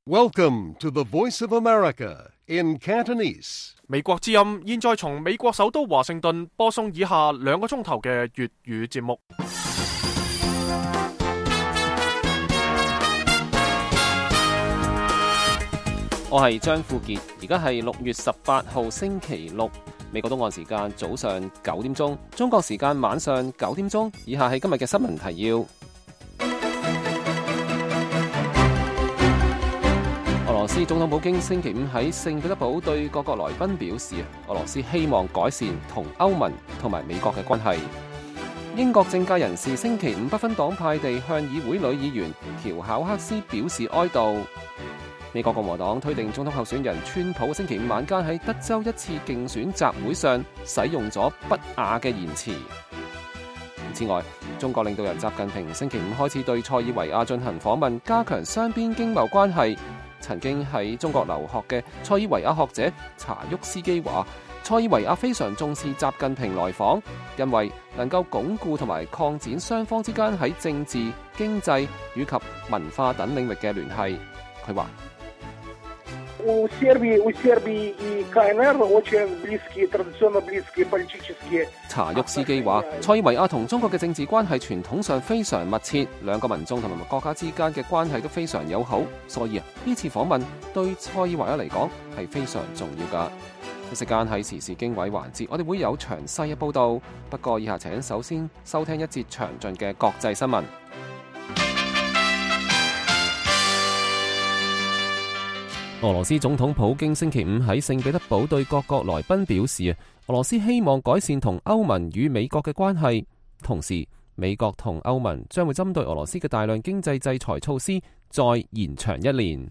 Welcome to the Voice of America in Cantonese. 美國之音現在從美國首都華盛頓播送以下2個鐘頭嘅粵語節目。我係張富傑，而家係6月18號星期六，美國東岸時間早上9點鐘，中國時間晚上9點鐘。以下係今日嘅新聞提要。俄羅斯總統普京星期五喺聖彼得堡對各國來賓表示，俄羅斯希望改善同歐盟同埋美國嘅關係。英國政界人士星期五不分黨派地向議會女議員喬考克斯表示哀悼。美國共和黨推定總統候選人川普星期五晚間喺德州一次競選集會上使用咗不雅嘅言辭。此外，中國領導人習近平星期五開始對塞爾維亞進行訪問，加強雙邊經貿關係。曾經喺中國留學嘅塞爾維亞學者查沃斯基話，塞爾維亞非常重視習近平來訪，因為能夠鞏固同埋擴展雙方之間喺政治、經濟以及文化等領域嘅聯繫。佢話查沃斯基話，塞爾維亞同中國嘅政治關係傳統上非常密切，兩個民眾同埋國家之間嘅關係都非常友好，所以呢次訪問對塞爾維亞嚟講係非常重要噶。一時間喺時事經緯環節，我哋會有詳細嘅報道，不過以下請首先收聽一節詳盡嘅國際新聞。俄羅斯總統普京星期五喺聖彼得堡對各國來賓表示，俄羅斯希望改善同歐盟與美國嘅關係，同時美國同歐盟將會針對俄羅斯嘅大量經濟制裁措施再延長1年。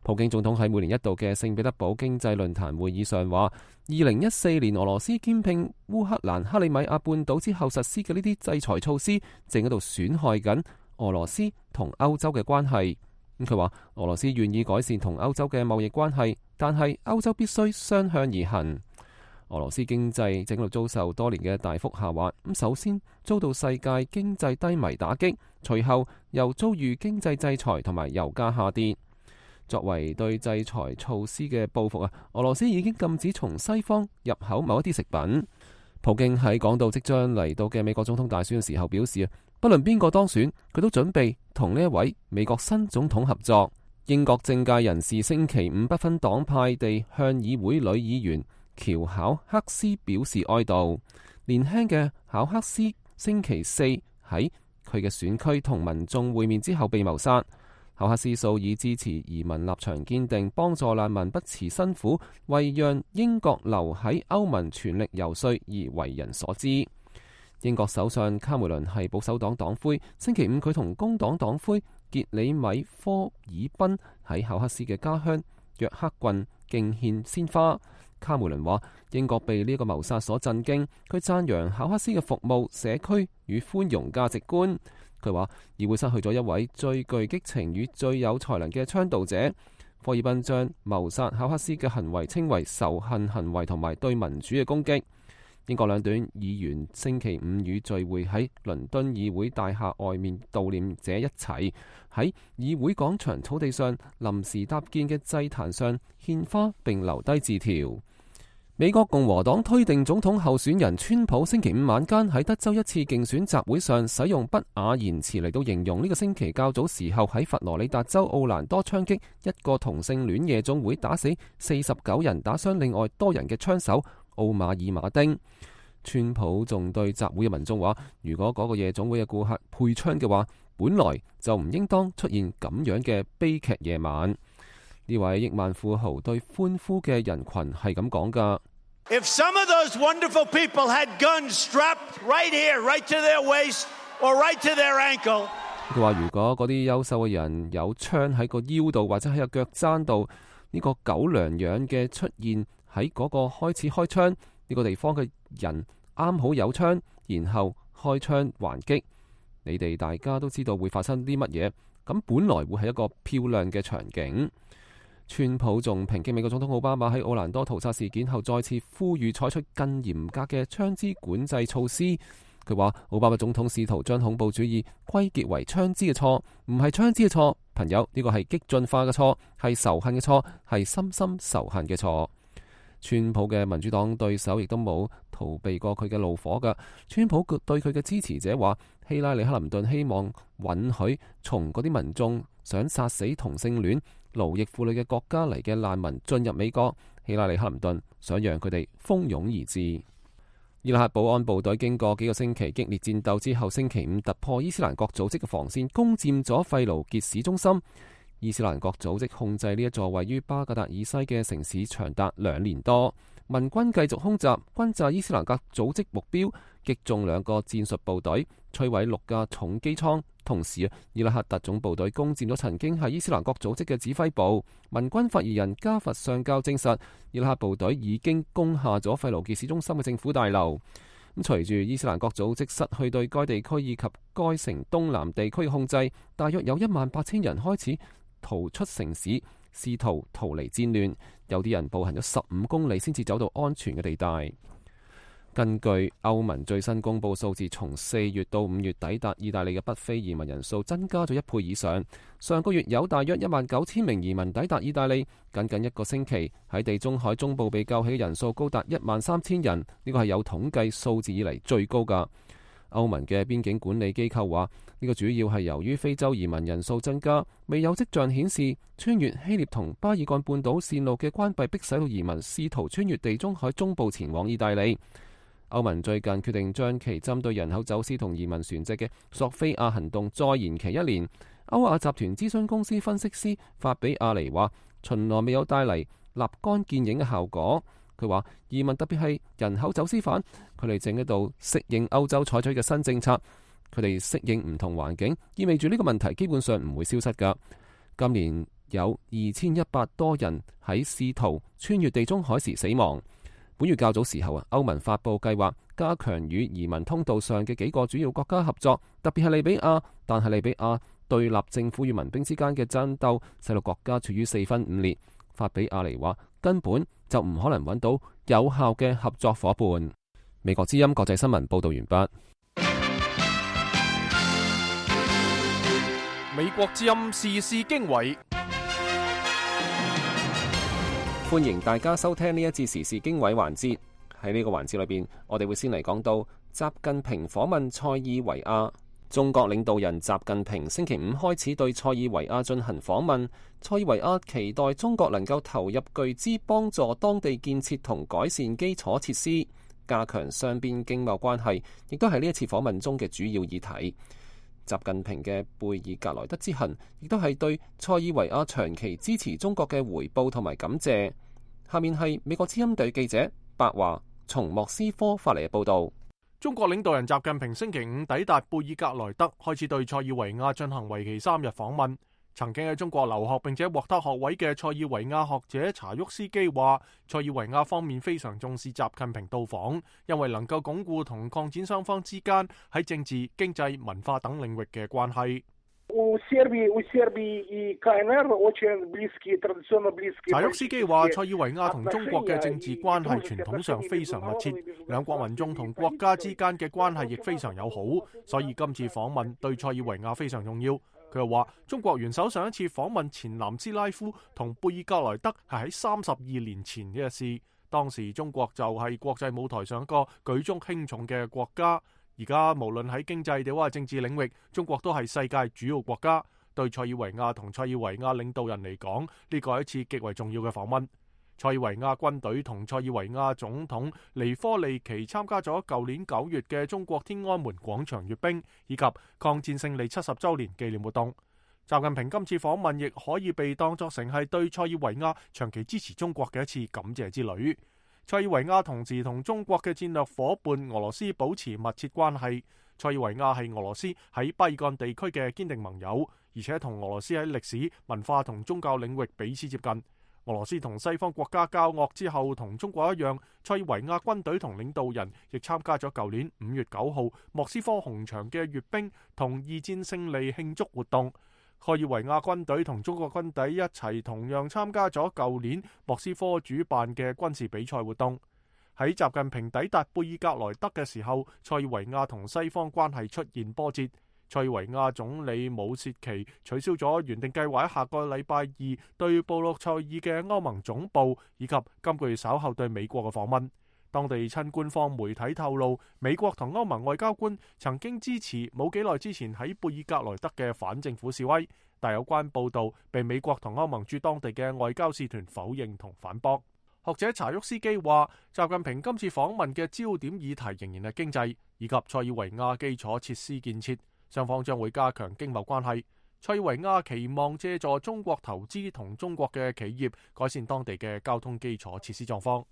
普京總統喺每年一度嘅聖彼得堡經濟論壇會議上話，2014年俄羅斯兼併烏克蘭克里米亞半島之後實施嘅呢啲制裁措施，正喺度損害緊俄羅斯同歐洲嘅關係。佢話俄羅斯願意改善同歐洲嘅貿易關係，但係歐洲必須相向而行。俄羅斯經濟正喺度遭受多年嘅大幅下滑，首先遭到世界經濟低迷打擊，隨後又遭遇經濟制裁同埋油價下跌。作為對制裁措施嘅報復，俄羅斯已經禁止從西方入口某一啲食品。普京喺講到即將嚟到嘅美國總統大選嘅時候表示，不論邊個當選，佢都準備同呢一位美國新總統合作。英國政界人士星期五不分黨派地向議會女議員喬考克斯表示哀悼。年輕嘅考克斯星期四喺佢嘅選區同民眾會面之後被謀殺。考克斯素以支持移民立場堅定，幫助難民不辭辛苦，為讓英國留喺歐盟全力游說而為人所知。英國首相卡梅倫係保守黨黨魁，星期五佢同工黨黨魁傑里米科爾賓喺考克斯嘅家鄉約克郡敬獻鮮花。卡梅倫話英國被呢個謀殺所震驚，佢讚揚考克斯嘅服務、社區與寬容價值觀。佢話議會失去咗一位最具激情與最有才能嘅倡導者。科爾賓將謀殺考克斯嘅行為稱為仇恨行為同埋對民主嘅攻擊。英國兩黨議員星期五與聚會喺倫敦議會大廈外面悼念者一齊喺議會廣場草地上臨時搭建嘅祭壇上獻花並留低字條。美國共和黨推定總統候選人川普星期五晚間喺德州一次競選集會上使用不雅言辭嚟到形容呢個星期較早時候喺佛羅里達州奧蘭多槍擊一個同性戀夜總會打死49人打傷另外多人嘅槍手奧馬爾馬丁。川普仲對集會嘅民眾話，如果嗰個夜總會嘅顧客配槍嘅話，本來就唔應當出現咁樣嘅悲劇夜晚。呢位億萬富豪對歡呼嘅人群係咁講㗎。If some of those wonderful people had guns strapped right here, right to their waist or right to their ankle， 佢話如果嗰啲優秀嘅人有槍喺個腰度或者喺個腳踭度，呢個狗糧樣嘅出現喺嗰個開始開槍呢個地方嘅人啱好有槍，然後開槍還擊，你哋大家都知道會發生啲乜嘢，咁本來會係一個漂亮嘅場景。川普仲抨擊美國總統奧巴馬喺奧蘭多屠殺事件後再次呼籲採取更嚴格嘅槍支管制措施。佢話奧巴馬總統試圖將恐怖主義歸結為槍支嘅錯，唔係槍支嘅錯，朋友，呢個係激進化嘅錯，係仇恨嘅錯，係深深仇恨嘅錯。川普嘅民主黨對手亦都冇逃避過佢嘅怒火㗎。川普對佢嘅支持者話，希拉里克林頓希望允許從嗰啲民眾想殺死同性戀、奴役婦女嘅國家嚟嘅難民進入美國。希拉里克林頓想讓佢哋蜂擁而至。伊拉克保安部隊經過幾個星期激烈戰鬥之後，星期五突破伊斯蘭國組織嘅防線，攻佔咗費盧傑市中心。伊斯蘭國組織控制呢一座位於巴格達以西嘅城市長達2年多，民軍繼續空襲，轟炸伊斯蘭國組織目標，擊中2個戰術部隊，摧毀6架重機艙。同時，伊拉克特種部隊攻佔咗曾經係伊斯蘭國組織嘅指揮部。民軍發言人加佛上校證實，伊拉克部隊已經攻下咗費盧傑市中心嘅政府大樓。咁隨住伊斯蘭國組織失去對該地區以及該城東南地區嘅控制，大約有18000人開始逃出城市，試圖逃離戰亂。有啲人步行咗15公里先至走到安全嘅地帶。根據歐盟最新公布數字，從4月到5月抵達意大利嘅北非移民人數增加咗1倍以上。上個月有大約19000名移民抵達意大利，僅僅1個星期喺地中海中部被救起嘅人數高達13000人，呢個係有統計數字以嚟最高㗎。歐盟嘅邊境管理機構話，呢個主要係由於非洲移民人數增加，未有跡象顯示穿越希臘同巴爾幹半島線路嘅關閉迫使到移民試圖穿越地中海中部前往意大利。歐盟最近決定將其針對人口走私同移民船隻嘅索菲亞行動再延期1年。歐亞集團諮詢公司分析師法比亞尼話，巡邏未有帶嚟立竿見影嘅效果。佢話移民特別係人口走私犯，佢哋正喺度適應歐洲採取嘅新政策，佢哋適應唔同環境，意味住呢個問題基本上唔會消失㗎。今年有2100多人喺試圖穿越地中海時死亡。本月較早時候歐盟發布計劃，加強與移民通道上嘅幾個主要國家合作，特別係利比亞。但係利比亞對立政府與民兵之間嘅爭鬥，使到國家處於4分5裂。法比亞尼話，根本就唔可能揾到有效嘅合作夥伴。美國之音國際新聞報道完畢。美國之音時事經緯。歡迎大家收聽呢一節時事經緯環節。喺呢個環節裏邊，我哋會先嚟講到習近平訪問塞爾維亞。中國領導人習近平星期5開始對塞爾維亞進行訪問。塞爾維亞期待中國能夠投入巨資幫助當地建設同改善基礎設施，加強雙邊經貿關係，亦都係呢一次訪問中嘅主要議題。習近平嘅貝爾格萊德之行，亦都係對塞爾維亞長期支持中國嘅回報同埋感謝。下面係美國之音隊記者白華從莫斯科發嚟嘅報道。中國領導人習近平星期5抵達貝爾格萊德，開始對塞爾維亞進行為期3日訪問。曾經喺中國留學並且獲得學位嘅塞爾維亞學者查沃斯基話，塞爾維亞方面非常重視習近平到訪，因為能夠鞏固同擴展雙方之間喺政治、經濟、文化等領域嘅關係。查沃斯基話，塞爾維亞同中國嘅政治關係傳統上非常密切，兩國民眾同國家之間嘅關係亦非常友好，所以今次訪問對塞爾維亞非常重要。佢又話，中國元首上一次訪問前南斯拉夫同貝爾格萊德係喺32年前嘅事，當時中國就係國際舞台上一個舉足輕重嘅國家。而家無論喺經濟定或政治領域，中國都係世界主要國家。對塞爾維亞同塞爾維亞領導人嚟講，呢個係一次極為重要嘅訪問。塞爾維亞軍隊同塞爾維亞總統尼科利奇參加咗舊年9月嘅中國天安門廣場閱兵以及抗戰勝利70週年紀念活動。習近平今次訪問亦可以被當作成係對塞爾維亞長期支持中國嘅一次感謝之旅。塞爾維亞同時同中國嘅戰略夥伴俄羅斯保持密切關係。塞爾維亞係俄羅斯喺巴爾幹地區嘅堅定盟友，而且同俄羅斯喺歷史、文化同宗教領域彼此接近。俄羅斯同西方國家交惡之後，同中國一樣，塞爾維亞軍隊同領導人亦參加咗舊年5月9號莫斯科紅場嘅閱兵同二戰勝利慶祝活動。塞爾維亞軍隊同中國軍隊一齊同樣參加咗舊年莫斯科主辦嘅軍事比賽活動。喺習近平抵達貝爾格萊德嘅時候，塞爾維亞同西方關係出現波折。塞爾維亞總理武切奇取消咗原定計劃喺下個禮拜二對布魯塞爾嘅歐盟總部以及今個月稍後對美國嘅訪問。當地親官方媒體透露，美國同歐盟外交官曾經支持冇幾耐之前喺貝爾格萊德嘅反政府示威，但有關報道被美國同歐盟駐當地嘅外交使團否認同反駁。學者查沃斯基話，習近平今次訪問嘅焦點議題仍然係經濟以及塞爾維亞基礎設施建設。雙方將會加強經貿關係。塞爾維亞期望借助中國投資同中國嘅企業改善當地嘅交通基礎設施狀況。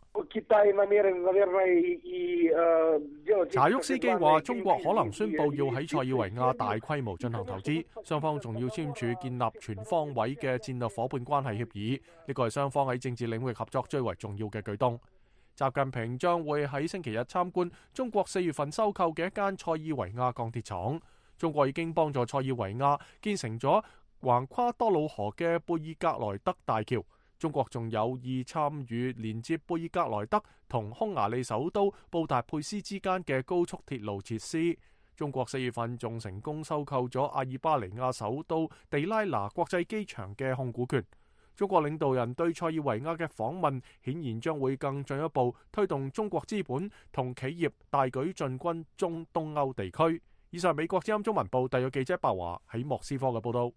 查沃斯基話，中國可能宣布要喺塞爾維亞大規模進行投資，雙方仲要簽署建立全方位嘅戰略夥伴關係協議。呢個係雙方喺政治領域合作最為重要嘅舉動。習近平將會喺星期日參觀中國4月份收購嘅一間塞爾維亞鋼鐵廠。中國已經幫助塞爾維亞建成咗橫跨多瑙河嘅貝爾格萊德大橋。中國仲有意參與連接貝爾格萊德同匈牙利首都布達佩斯之間嘅高速鐵路設施。中國4月份仲成功收購咗阿爾巴尼亞首都地拉那國際機場嘅控股權。中國領導人對塞爾維亞嘅訪問顯然將會更進一步推動中國資本同企業大舉進軍中東歐地區。以上美國之音中文部特約記者白華喺莫斯科嘅報道。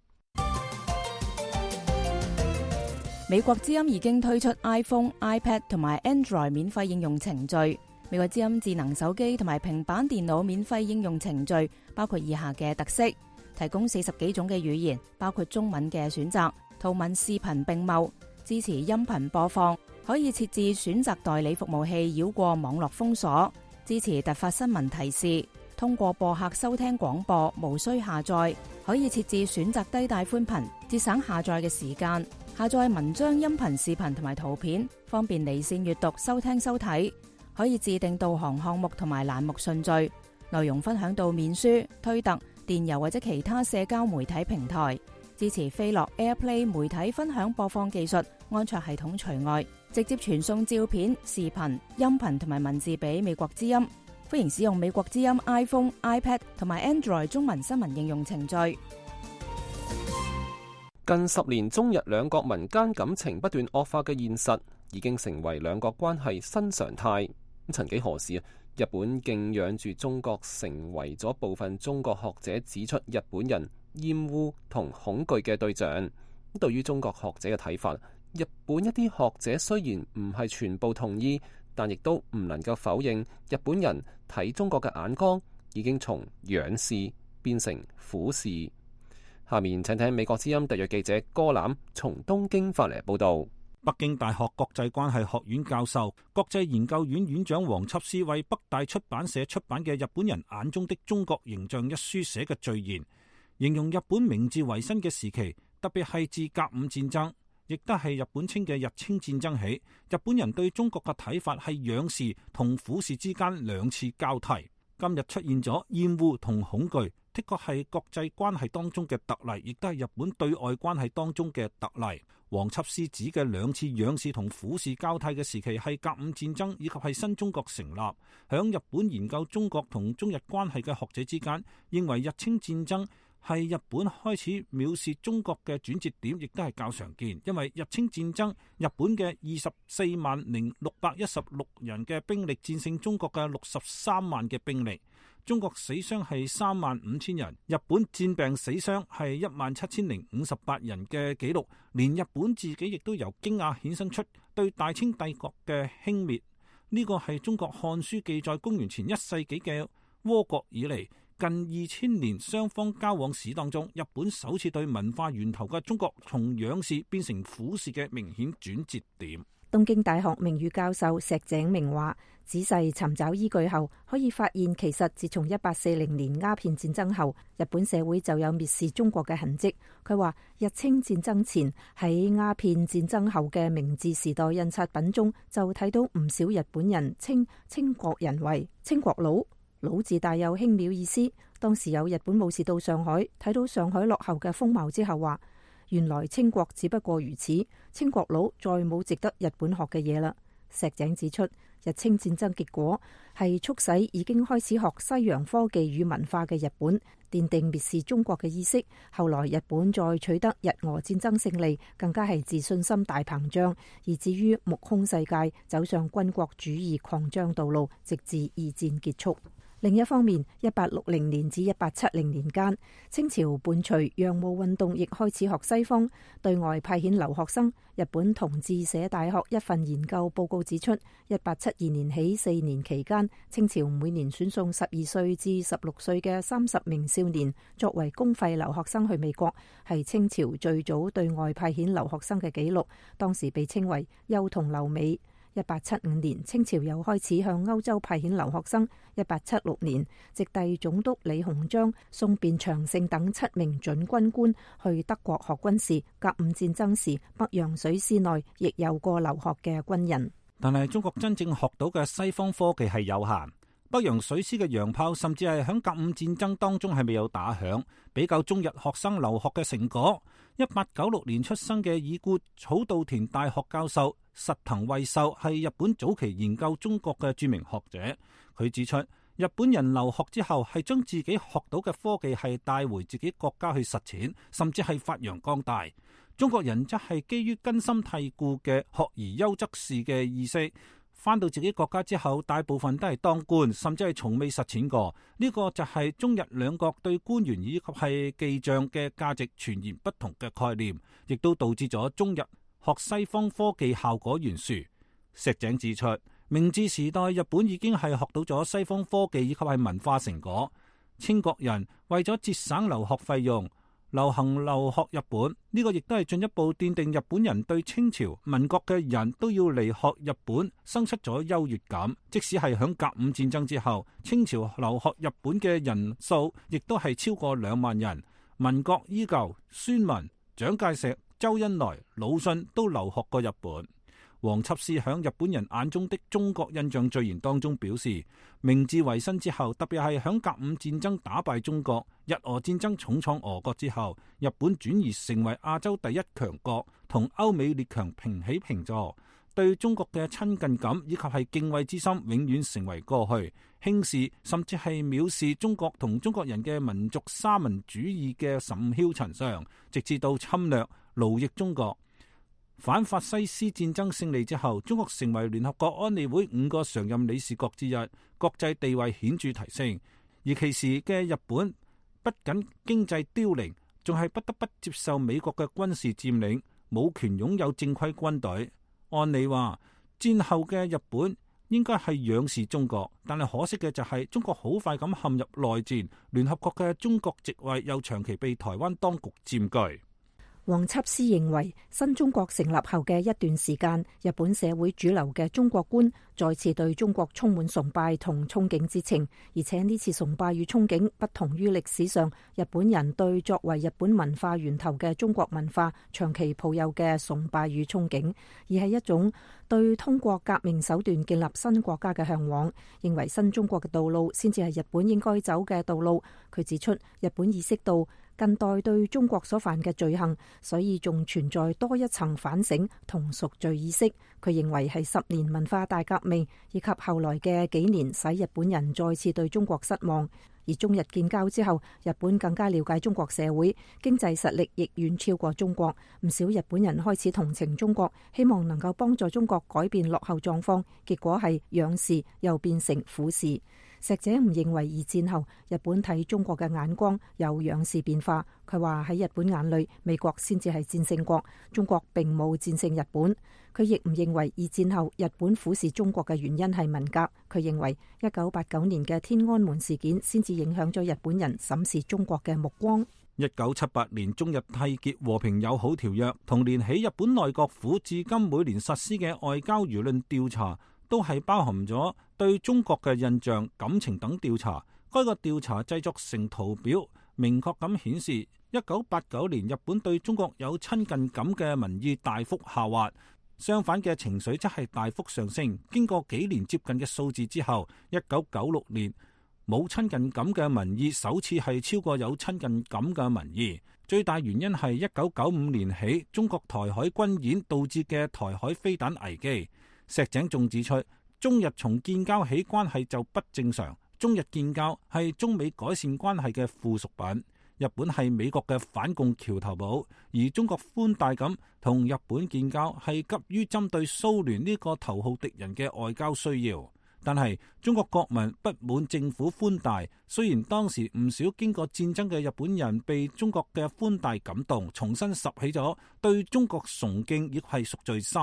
美國之音已經推出 iPhone、iPad 同埋 Android 免費應用程序。美國之音智能手機同埋平板電腦免費應用程序包括以下嘅特色：提供40幾種嘅語言，包括中文嘅選擇，圖文視頻並茂，支持音頻播放，可以設置選擇代理服務器繞過網絡封鎖，支持突發新聞提示。通過播客收聽廣播，無需下載，可以設置選擇低帶寬頻，節省下載嘅時間。下載文章、音頻、視頻同埋圖片，方便離線閱讀、收聽收睇。可以自定導航項目同埋欄目順序，內容分享到面書、推特、電郵或者其他社交媒體平台。支持飛樂 AirPlay 媒體分享播放技術，安卓系統除外。直接傳送照片、視頻、音頻同埋文字俾美國之音。歡迎使用美國之音 iPhone、iPad 同埋 Android 中文新聞應用程序。近10年中日兩國民間感情不斷惡化嘅現實，已經成為兩國關係新常態。曾幾何時，日本敬仰住中國，成為咗部分中國學者指出日本人厭惡同恐懼嘅對象。對於中國學者嘅睇法，日本一啲學者雖然唔係全部同意，但亦都唔能夠否認日本人睇中國嘅眼光已經從仰視變成俯視。下面請聽美國之音特約記者戈欖從東京發嚟報道。北京大學國際關係學院教授、國際研究院院長黃輯思為北大出版社出版嘅《日本人眼中的中國形象》一書寫嘅序言，形容日本明治維新嘅時期，特別係自甲午戰爭，亦都係日本稱嘅日清戰爭起，日本人對中國嘅睇法係仰視同俯視之間兩次交替。今日出現咗厭惡同恐懼，的確係國際關係當中嘅特例，亦都係日本對外關係當中嘅特例。黃輯思指嘅兩次仰視同俯視交替嘅時期係甲午戰爭以及係新中國成立。響日本研究中國同中日關係嘅學者之間，認為日清戰爭係日本開始藐視中國嘅轉折點，亦都係較常見。因為日清戰爭，日本嘅24,616人嘅兵力戰勝中國嘅63萬嘅兵力，中國死傷係35,000人，日本戰病死傷係17,058人嘅紀錄。連日本自己亦都由驚訝衍生出對大清帝國嘅輕蔑。呢個係中國漢書記載公元前1世紀嘅倭國以嚟，近2000年雙方交往史當中，日本首次對文化源頭嘅中國從仰視變成俯視嘅明顯轉折點。東京大學名譽教授石井明話，仔細尋找依據後，可以發現其實自從1840年鴉片戰爭後，日本社會就有蔑視中國嘅痕跡。佢話日清戰爭前喺鴉片戰爭後嘅明治時代印刷品中，就睇到唔少日本人稱清國人為清國佬，佬字帶有輕蔑意思。當時有日本武士到上海，睇到上海落後嘅風貌之後話，原來清國只不過如此，清國佬再冇值得日本學嘅嘢啦。石井指出，日清戰爭結果係促使已經開始學西洋科技與文化嘅日本奠定蔑視中國嘅意識。後來日本再取得日俄戰爭勝利，更加係自信心大膨脹，以至於目空世界，走上軍國主義擴張道路，直至二戰結束。另一方面，1860年至1870年間，清朝伴隨洋務運動亦開始學西方，對外派遣留學生。日本同志社大學一份研究報告指出，1872年起4年期間，清朝每年選送12歲至16歲嘅30名少年作為公費留學生去美國，係清朝最早對外派遣留學生嘅紀錄，當時被稱為幼童留美。1875年，清朝又開始向歐洲派遣留學生。1876年，直隸總督李鴻章送卞長勝等7名準軍官去德國學軍事。甲午戰爭時，北洋水師內亦有過留學嘅軍人。但係中國真正學到嘅西方科技係有限。北洋水師嘅洋炮甚至係響甲午戰爭當中係未有打響。比較中日學生留學嘅成果，1896年出生嘅已故草稻田大學教授實藤惠壽係日本早期研究中國嘅著名學者。佢指出，日本人留學之後係將自己學到嘅科技係帶回自己國家去實踐，甚至係發揚光大。中國人則係基於根深蒂固嘅學而優則仕嘅意識，返到自己國家之後，大部分都係當官，甚至係從未實踐過。呢個就係中日兩國對官員以及係記帳嘅價值全然不同嘅概念，亦都導致咗中日學西方科技效果懸殊。石井指出，明治時代日本已經係學到咗西方科技以及係文化成果。清國人為咗節省留學費用，流行留學日本，呢個亦都係進一步奠定日本人對清朝民國嘅人都要嚟學日本生出咗優越感。即使係響甲午戰爭之後，清朝留學日本嘅人數亦都係超過2萬人。民國依舊，孫文、蔣介石、周恩來、魯迅都留學過日本。黃輯師響日本人眼中的中國印象序言當中表示，明治維新之後，特別係響甲午戰爭打敗中國、日俄戰爭重創俄國之後，日本轉移成為亞洲第一強國，同歐美列強平起平坐，對中國嘅親近感以及係敬畏之心永遠成為過去，輕視甚至係藐視中國同中國人嘅民族沙文主義嘅甚囂塵上，直至到侵略奴役中國。反法西斯戰爭勝利之後，中國成為聯合國安理會5個常任理事國之一，國際地位顯著提升。而其時嘅日本不僅經濟凋零，仲係不得不接受美國嘅軍事佔領，冇權擁有正規軍隊。按理話，戰後嘅日本應該係仰視中國，但係可惜嘅就係中國好快咁陷入內戰，聯合國嘅中國席位又長期被台灣當局佔據。黃輯師認為，新中國成立後嘅一段時間，日本社會主流嘅中國觀再次對中國充滿崇拜同憧憬之情，而且呢次崇拜與憧憬不同於歷史上日本人對作為日本文化源頭嘅中國文化長期抱有嘅崇拜與憧憬，而係一種對通過革命手段建立新國家嘅向往，認為新中國嘅道路先至係日本應該走嘅道路。佢指出，日本意識到近代對中國所犯嘅罪行，所以仲存在多一層反省同贖罪意識。佢認為係10年文化大革命以及後來嘅幾年使日本人再次對中國失望。而中日建交之後，日本更加了解中國社會，經濟實力亦遠超過中國。唔少日本人開始同情中國，希望能夠幫助中國改變落後狀況。結果係仰視又變成俯視。石井唔認為二戰後日本睇中國嘅眼光有仰視變化。佢話喺日本眼裏，美國先至係戰勝國，中國並冇戰勝日本。佢亦唔認為二戰後日本俯視中國嘅原因係文革。佢認為1989年嘅天安門事件先至影響咗日本人審視中國嘅目光。1978年中日締結和平友好條約，同年起日本內閣府至今每年實施嘅外交輿論調查，都係包含咗對中國嘅印象、感情等調查。該個調查製作成圖表，明確咁顯示1989年日本對中國有親近感嘅民意大幅下滑，相反嘅情緒則係大幅上升。經過幾年接近嘅數字之後，1996年冇親近感嘅民意首次係超過有親近感嘅民意。最大原因係1995年起中國台海軍演導致嘅台海飛彈危機。石井仲指出，中日從建交起關係就不正常，中日建交係中美改善關係嘅附屬品。日本係美國嘅反共橋頭堡，而中國寬大咁同日本建交係急於針對蘇聯呢個頭號敵人嘅外交需要。但係中國國民不滿政府寬大，雖然當時唔少經過戰爭嘅日本人被中國嘅寬大感動，重新拾起咗對中國崇敬，亦係贖罪心，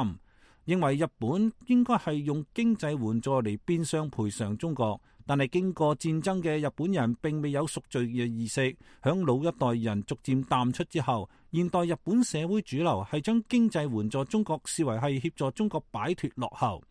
認為日本應該係用經濟援助嚟變相賠償中國。但係經過戰爭嘅日本人並未有贖罪嘅意識，響老一代人逐漸淡出之後，現代日本社會主流係將經濟援助中國視為係協助中國擺脫落後。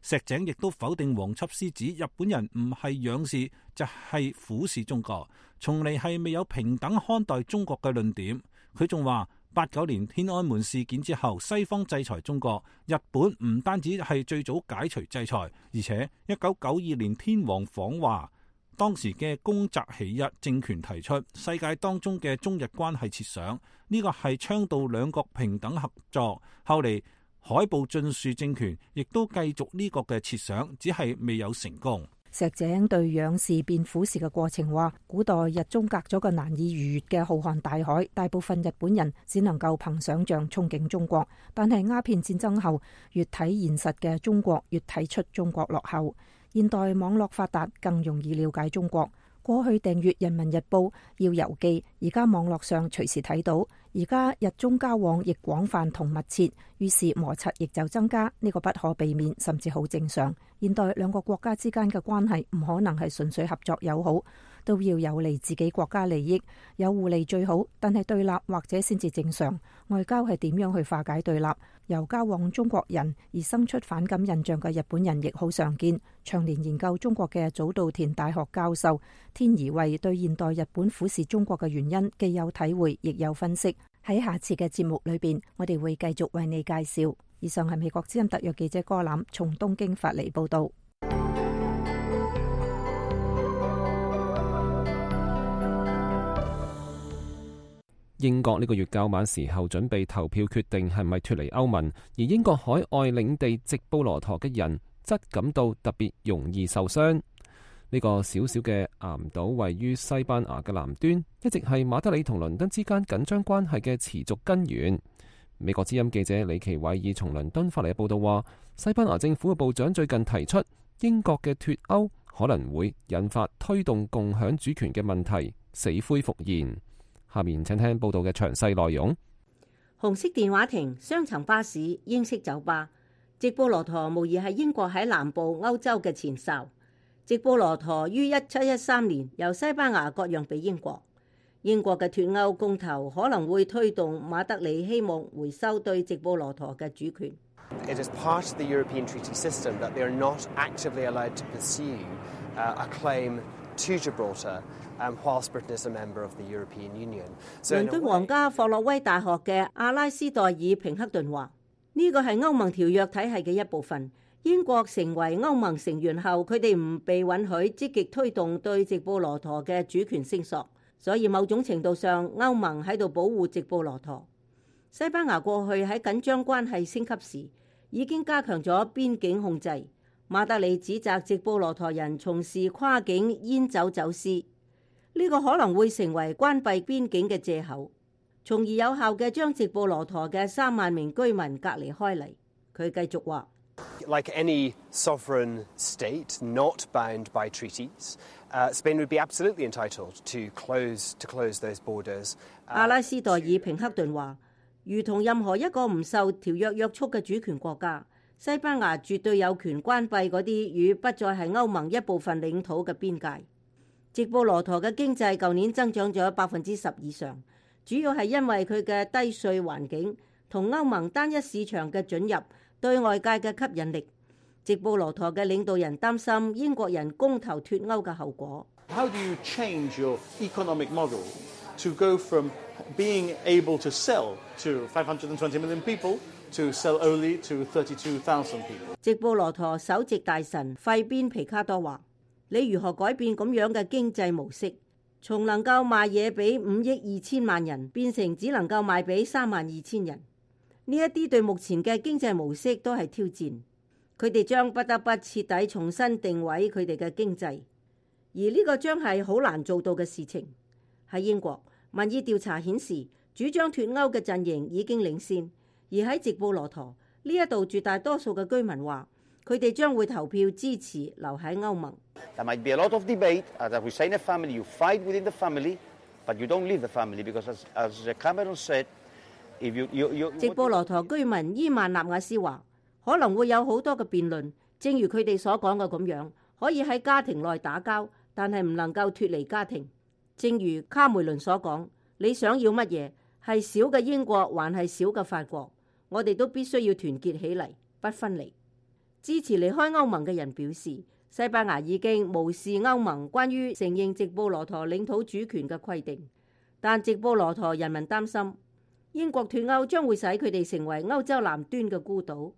石井亦都否定黃輯師指日本人唔係仰視就係俯視中國，從嚟係未有平等看待中國嘅論點。佢仲話89年天安門事件之後，西方制裁中國，日本唔單止係最早解除制裁，而且1992年天皇訪華，當時嘅宮澤喜一政權提出世界當中嘅中日關係設想，呢個係倡導兩國平等合作。後嚟海部俊樹政權亦都繼續呢個嘅設想，只係未有成功。石井對仰視變俯視嘅過程話，古代日中隔咗個難以逾越嘅浩瀚大海，大部分日本人只能夠憑想像憧憬中國。但係鴉片戰爭後，越睇現實嘅中國越睇出中國落後。現代網絡發達，更容易了解中國。過去訂閱《人民日報》要郵寄，而家網絡上隨時睇到。而家日中交往亦廣泛同密切，於是摩擦亦就增加，呢個不可避免，甚至好正常。現代兩個國家之間嘅關係唔可能係純粹合作友好，都要有利自己國家利益，有互利最好。但係對立或者先至正常。外交係點樣去化解對立？由交往中國人而生出反感印象嘅日本人亦好常見。長年研究中國嘅早稻田大學教授天宜惠對現代日本俯視中國嘅原因既有體會，亦有分析。喺下次嘅節目裏邊，我哋會繼續為你介紹。以上係美國之音特約記者柯欖從東京發嚟報道。英國呢個月較晚時候準備投票決定係咪脫離歐盟，而英國海外領地直布羅陀嘅人則感到特別容易受傷。呢個小小嘅岩島位於西班牙嘅南端，一直係馬德里同倫敦之間緊張關係嘅持續根源。美國之音記者李奇偉爾從倫敦發嚟嘅報道話，西班牙政府嘅部長最近提出，英國嘅脫歐可能會引發推動共享主權嘅問題死灰復燃。下面請聽報道嘅詳細內容。紅色電話亭、雙層巴士、英式酒吧，直布羅陀無疑係英國喺南部歐洲嘅前哨。直布羅陀於1713年由西班牙割讓俾英國。英國嘅脫歐公投可能會推動馬德里希望回收對直布羅陀嘅主權。It is part of the European treaty system that they are not actively allowed to pursue a claim to Gibraltar, whilst Britain is a member of the European Union. 倫敦皇家霍洛威大學嘅阿拉斯代爾平克頓話：呢個係歐盟條約體系嘅一部分。英國成為歐盟成員後，佢哋唔被允許積極推動對直布羅陀嘅主權聲索，所以某種程度上，歐盟喺度保護直布羅陀。西班牙過去喺緊張關係升級時，已經加強咗邊境控制。馬德里指責直布羅陀人從事跨境煙酒走私，呢個可能會成為關閉邊境嘅藉口，從而有效嘅將直布羅陀嘅3萬名居民隔離開嚟。佢繼續話：Like any sovereign state not bound by treaties, Spain would be absolutely entitled to close those borders. 阿拉斯代爾平克頓話：如同任何一個唔受條約約束嘅主權國家，西班牙絕對有權關閉嗰啲與不再係歐盟一部分領土嘅邊界。直布羅陀嘅經濟舊年增長咗10%以上，主要係因為佢嘅低稅環境同歐盟單一市場嘅准入對外界嘅吸引力。直布羅陀嘅領導人擔心英國人公投脫歐嘅後果。How do you change your economic model to go from being able to sell to 520 million people to sell only to 32,000 people? 直布羅陀首席大臣費邊皮卡多話：你如何改變咁樣嘅經濟模式，從能夠賣嘢俾5億2千萬人，變成只能夠賣俾3萬2千人？呢一啲對目前嘅經濟模式都係挑戰。佢哋將不得不徹底重新定位佢哋嘅經濟，而呢個將係好難做到嘅事情。喺英國，民意調查顯示，主張脫歐嘅陣營已經領先，而喺直布羅陀呢一度絕大多數嘅居民話，佢哋將會投票支持留喺歐盟。There might be a lot of debate. As we say in a family, you fight within the family, but you don't leave the family because, as Cameron said, if you 直布羅陀居民伊曼納瓦斯話，可能會有好多嘅辯論，正如佢哋所講嘅咁樣，可以喺家庭內打交，但係唔能夠脫離家庭。正如卡梅倫所講，你想要乜嘢？係小嘅英國還係小嘅法國？我哋都必須要團結起嚟，不分離。支持離開歐盟嘅人表示，西班牙已經無視歐盟關於承認直布羅陀領土主權嘅規定，但直布羅陀人民擔心英國脫歐將會使佢哋成為歐洲南端嘅孤島。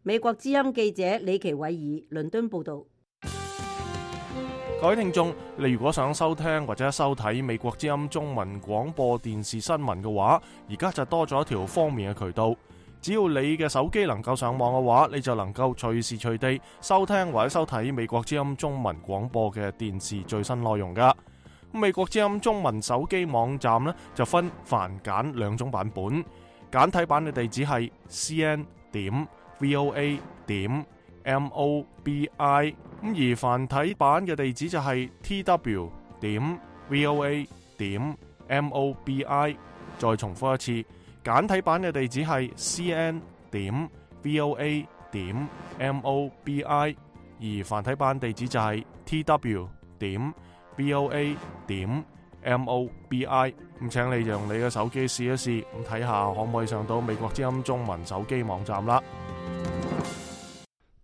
美國之音記者李奇偉爾倫敦報道。各位聽眾，你如果想收聽或者收睇美國之音中文廣播電視新聞嘅話，而家就多咗一條方便嘅渠道。只要你嘅手機能夠上網嘅話，你就能夠隨時隨地收聽或者收睇美國之音中文廣播嘅電視最新內容噶。美國之音中文手機網站呢，就分繁簡兩種版本，簡體版嘅地址係 cn.voa.mobi， 而繁體版嘅地址就係 tw.voa.mobi。 再重複一次，簡體版嘅地址係 cn.voa.mobi， 而繁體版地址就係 tw.voa.mobi。 咁請你用你嘅手機試一試，咁睇下可唔可以上到美國之音中文手機網站啦。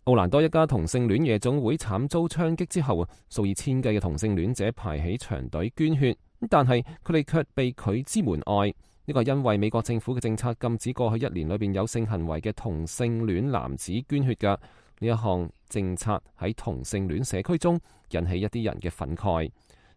奧蘭多一家同性戀夜總會慘遭槍擊之後啊，數以千計嘅同性戀者排起長隊捐血，但係佢哋卻被拒之門外。呢個係因為美國政府嘅政策禁止過去1年裏邊有性行為嘅同性戀男子捐血㗎。呢一項政策喺同性戀社區中引起一啲人嘅憤慨。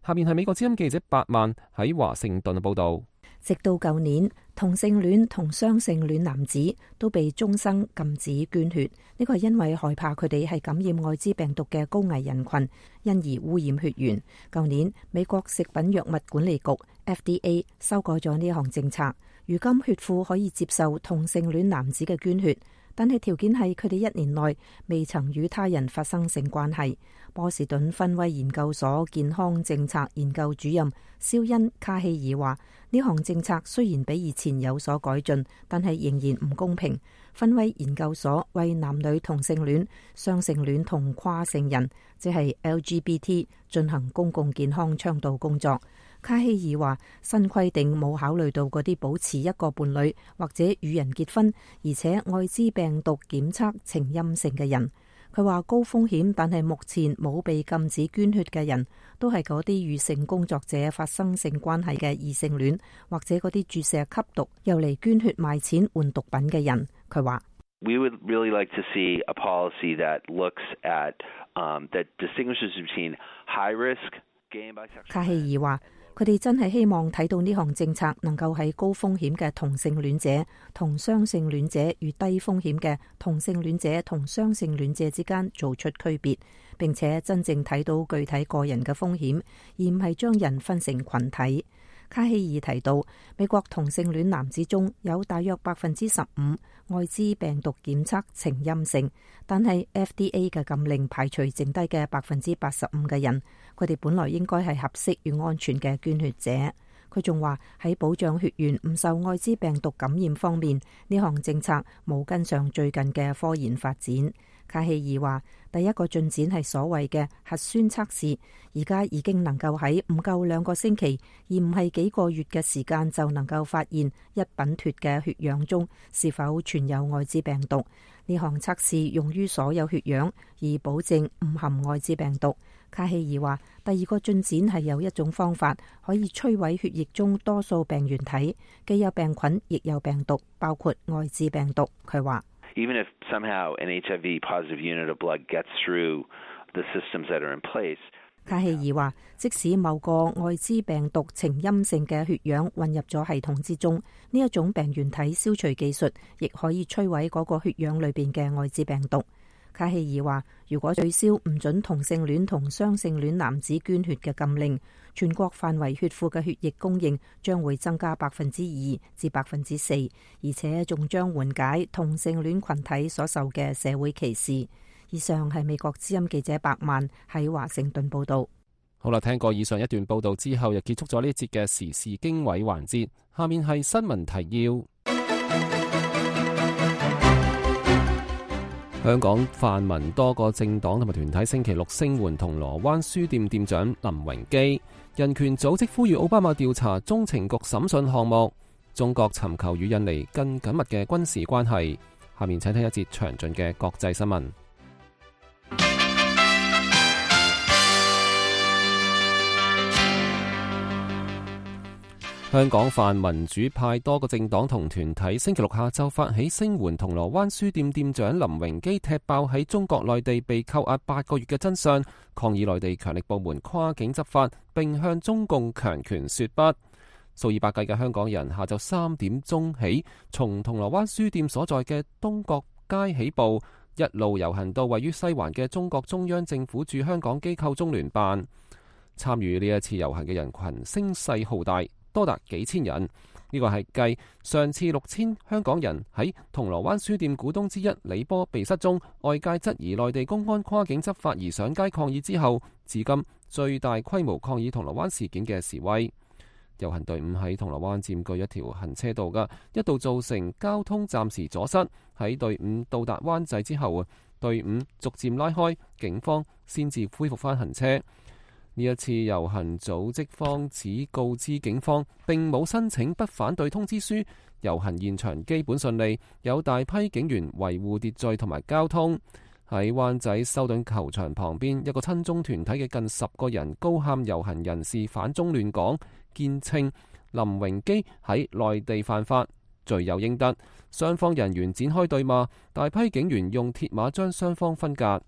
下面係美國之音記者8萬喺華盛頓嘅報道。直到舊年，同性戀同雙性戀男子都被終生禁止捐血。呢個係因為害怕佢哋係感染艾滋病毒嘅高危人群，因而污染血緣。舊年，美國食品藥物管理局 FDA 修改咗呢項政策，如今血庫可以接受同性戀男子嘅捐血，但係條件係佢哋1年內未曾與他人發生性關係。波士頓芬威研究所健康政策研究主任肖恩卡希爾話：呢項政策雖然比以前有所改進，但係仍然唔公平。芬威研究所為男女同性戀、雙性戀同跨性人，即係 LGBT 進行公共健康倡導工作。卡希爾話：新規定冇考慮到嗰啲保持一個伴侶或者與人結婚，而且艾滋病毒檢測呈陰性嘅人。佢話高風險但係目前冇被禁止捐血嘅人，都係嗰啲與性工作者發生性關係嘅異性戀，或者嗰啲注射吸毒又嚟捐血賣錢換毒品嘅人。佢話：We would really like to see a policy that looks at that distinguishes between high risk gay and bisexual。卡希爾話：佢哋真係希望睇到呢項政策能夠喺高風險嘅同性戀者同雙性戀者與低風險嘅同性戀者同雙性戀者之間做出區別，並且真正睇到具體個人嘅風險，而唔係將人分成群體。卡希爾提到，美國同性戀男子中有大約15%艾滋病毒檢測呈陰性，但係 FDA 嘅禁令排除剩低嘅85%嘅人，佢哋本來應該係合適與安全嘅捐血者。佢仲話喺保障血緣唔受艾滋病毒感染方面，呢項政策冇跟上最近嘅科研發展。卡希爾話：第一個進展係所謂嘅核酸測試，而家已經能夠喺唔夠2個星期，而唔係幾個月嘅時間就能夠發現一品脫嘅血樣中是否存有艾滋病毒。呢項測試用於所有血樣，以保證唔含艾滋病毒。卡希爾話：第二個進展係有一種方法可以摧毀血液中多數病原體，既有病菌亦有病毒，包括艾滋病毒。佢話：Even if somehow an HIV positive unit of blood gets through the systems that are in place。卡希爾話：即使某個艾滋病毒呈陰性嘅血樣混入咗系統之中，呢一種病原體消除技術亦可以摧毀嗰個血樣裏邊嘅艾滋病毒。卡希爾話，如果取消唔准同性戀同雙性戀男子捐血嘅禁令，全國範圍血庫嘅血液供應將會增加2%至4%，而且仲將緩解同性戀群體所受嘅社會歧視。以上係美國之音記者白曼喺華盛頓報道。好啦，聽過以上一段報道之後，又結束咗呢一節嘅時事經緯環節。下面係新聞提要。香港泛民多個政黨同埋團體星期六聲援銅鑼灣書店店長林榮基。人權組織呼籲奧巴馬調查中情局審訊項目。中國尋求與印尼更緊密嘅軍事關係。下面請聽一節詳盡嘅國際新聞。香港泛民主派多個政黨同團體星期六下晝發起聲援銅鑼灣書店店長林榮基踢爆喺中國內地被扣押8個月嘅真相，抗議內地強力部門跨境執法，並向中共強權說不。數以百計嘅香港人下晝3點鐘起，從銅鑼灣書店所在嘅東角街起步，一路遊行到位於西環嘅中國中央政府駐香港機構中聯辦。參與呢一次遊行嘅人群聲勢浩大，多達幾千人，呢個係繼上次6000香港人喺銅鑼灣書店股東之一李波被失蹤，外界質疑內地公安跨境執法而上街抗議之後，至今最大規模抗議銅鑼灣事件嘅示威。遊行隊伍喺銅鑼灣佔據一條行車道嘅，一度造成交通暫時阻塞。喺隊伍到達灣仔之後，隊伍逐漸拉開，警方先至恢復返行車。呢一次遊行組織方只告知警方並冇申請不反對通知書，遊行現場基本順利，有大批警員維護秩序同埋交通。喺灣仔修頓球場旁邊，一個親中團體嘅近10個人高喊遊行人士反中亂港，堅稱林榮基喺內地犯法，罪有應得。雙方人員展開對罵，大批警員用鐵馬將雙方分隔。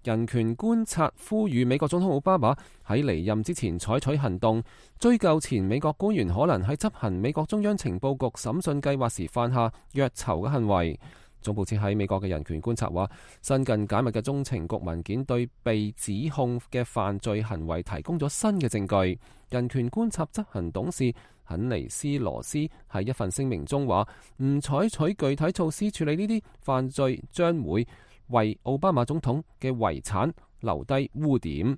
人權觀察呼籲美國總統奧巴馬喺離任之前採取行動，追究前美國官員可能喺執行美國中央情報局審訊計劃時犯下虐囚嘅行為。總部設喺美國嘅人權觀察話，新近解密嘅中情局文件對被指控嘅犯罪行為提供咗新嘅證據。人權觀察執行董事肯尼斯羅斯喺一份聲明中話，唔採取具體措施處理呢啲犯罪，將會為奧巴馬總統嘅遺產留低污點。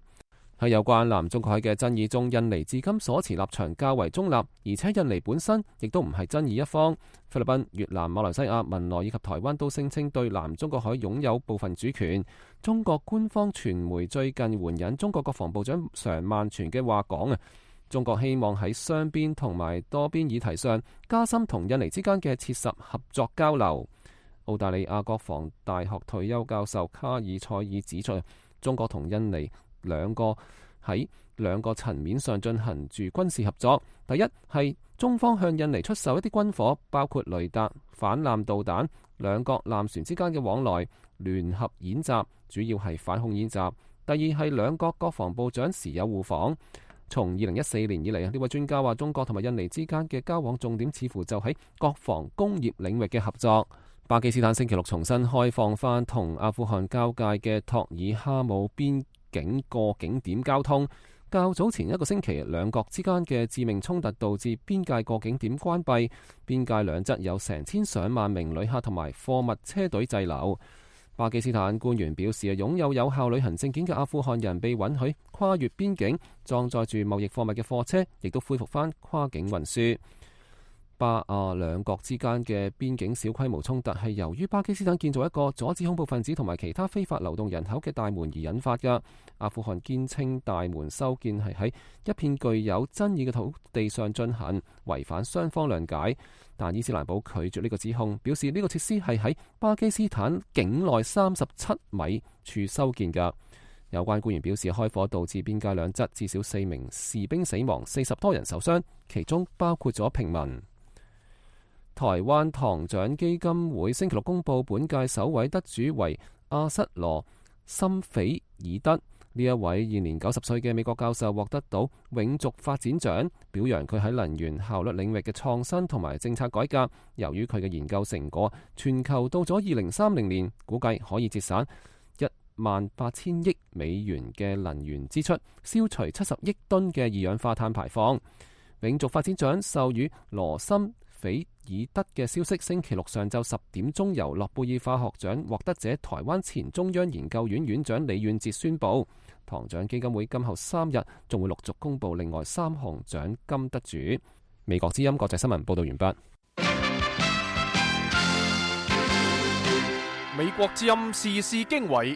喺有關南中國海嘅爭議中，印尼至今所持立場較為中立，而且印尼本身亦都唔係爭議一方。菲律賓、越南、馬來西亞、文萊以及台灣都聲稱對南中國海擁有部分主權。中國官方傳媒最近援引中國國防部長常萬全嘅話講中國希望喺雙邊同埋多邊議題上加深同印尼之間嘅切實合作交流。澳大利亞國防大學退休教授卡爾塞爾指出，中國同印尼喺兩個層面上進行住軍事合作。第一係中方向印尼出售一啲軍火，包括雷達、反艦導彈，兩國艦船之間嘅往來、聯合演習，主要係反恐演習。第二係兩國國防部長時有互訪。從2014年以嚟，呢位專家話中國同埋印尼之間嘅交往重點似乎就喺國防工業領域嘅合作。巴基斯坦星期六重新開放返同阿富汗交界嘅托爾哈姆邊境過境點交通。較早前一個星期，兩國之間嘅致命衝突導致邊界過境點關閉，邊界兩側有成千上萬名旅客同埋貨物車隊滯留。巴基斯坦官員表示，擁有有效旅行證件嘅阿富汗人被允許跨越邊境，裝載住貿易貨物嘅貨車亦都恢復返跨境運輸。巴亞兩國之間嘅邊境小規模衝突係由於巴基斯坦建造一個阻止恐怖分子同埋其他非法流動人口嘅大門而引發嘅。阿富汗堅稱大門修建係喺一片具有爭議嘅土地上進行，違反雙方諒解。但伊斯蘭堡拒絕呢個指控，表示呢個設施係喺巴基斯坦境內37米處修建嘅。有關官員表示，開火導致邊界兩側至少4名士兵死亡，40多人受傷，其中包括咗平民。台灣堂獎基金會星期六公布本屆首位得主為阿瑟羅森菲爾德。呢一位現年90歲嘅美國教授獲得到永續發展獎，表揚佢喺能源效率領域嘅創新同埋政策改革。由於佢嘅研究成果，全球到咗2030年，估計可以節省18,000億美元嘅能源支出，消除70億噸嘅二氧化碳排放。永續發展獎授予羅森斐爾德嘅消息，星期六上晝10點鐘由諾貝爾化學獎獲得者台灣前中央研究院院長李遠哲宣布，唐獎基金會今後3日仲會陸續公布另外3項獎金得主。美國之音國際新聞報道完畢。美國之音時事經緯，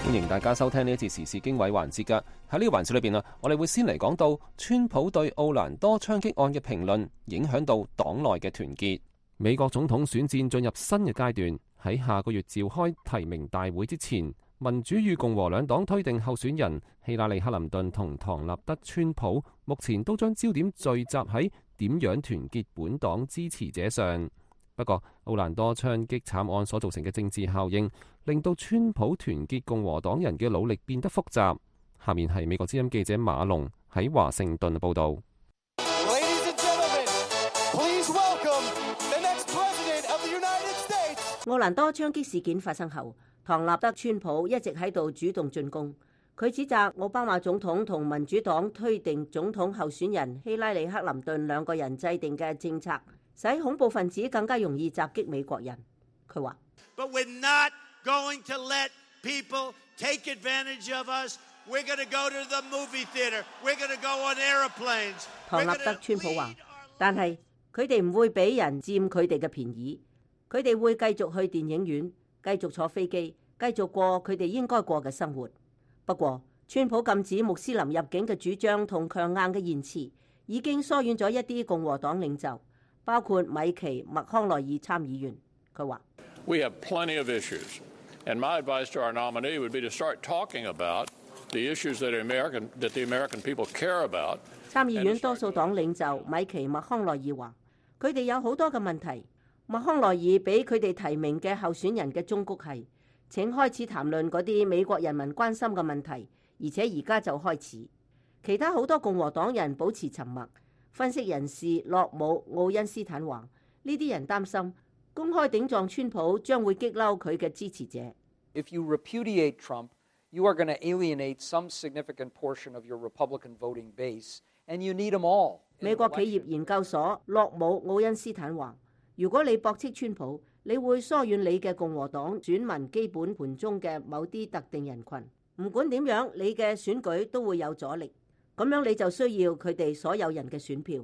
歡迎大家收聽呢一次時事經緯環節㗎。喺呢個環節裏邊我哋會先嚟講到川普對奧蘭多槍擊案嘅評論影響到黨內嘅團結。美國總統選戰進入新嘅階段，喺下個月召開提名大會之前，民主與共和兩黨推定候選人希拉里克林頓同唐納德川普目前都將焦點聚集喺點樣團結本黨支持者上。不過，奧蘭多槍擊慘案所造成嘅政治效應，令到川普團結共和黨人嘅努力變得複雜。下面係美國之音記者馬龍喺華盛頓報導。奧蘭多槍擊事件發生後，唐納德川普一直喺度主動進攻。佢指責奧巴馬總統同民主黨推定總統候選人希拉里克林頓兩個人制定嘅政策，使恐怖分子更加容易襲擊美國人。佢話：唐納德川普話，但係佢哋唔會俾人佔佢哋嘅便宜，佢哋會繼續去電影院，繼續坐飛機，繼續過佢哋應該過嘅生活。不過，川普禁止穆斯林入境嘅主張同強硬嘅言辭，已經疏遠咗一啲共和黨領袖，包括米奇·麥康奈爾參議員。佢話：參議院多數黨領袖米奇·麥康奈爾話：佢哋有好多嘅問題。麥康奈爾俾佢哋提名嘅候選人嘅忠告係：請開始談論嗰啲美國人民關心嘅問題，而且而家就開始。其他好多共和黨人保持沉默。分析人士洛姆·奧恩斯坦話：呢啲人擔心公開頂撞川普將會激嬲佢嘅支持者。If you repudiate Trump, you are going to alienate some significant portion of your Republican voting base, and you need them all. 美國企業研究所洛姆·奧恩斯坦話：如果你駁斥川普，你會疏遠你嘅共和黨選民基本盤中嘅某啲特定人群。唔管點樣，你嘅選舉都會有阻力。咁樣你就需要佢哋所有人嘅選票。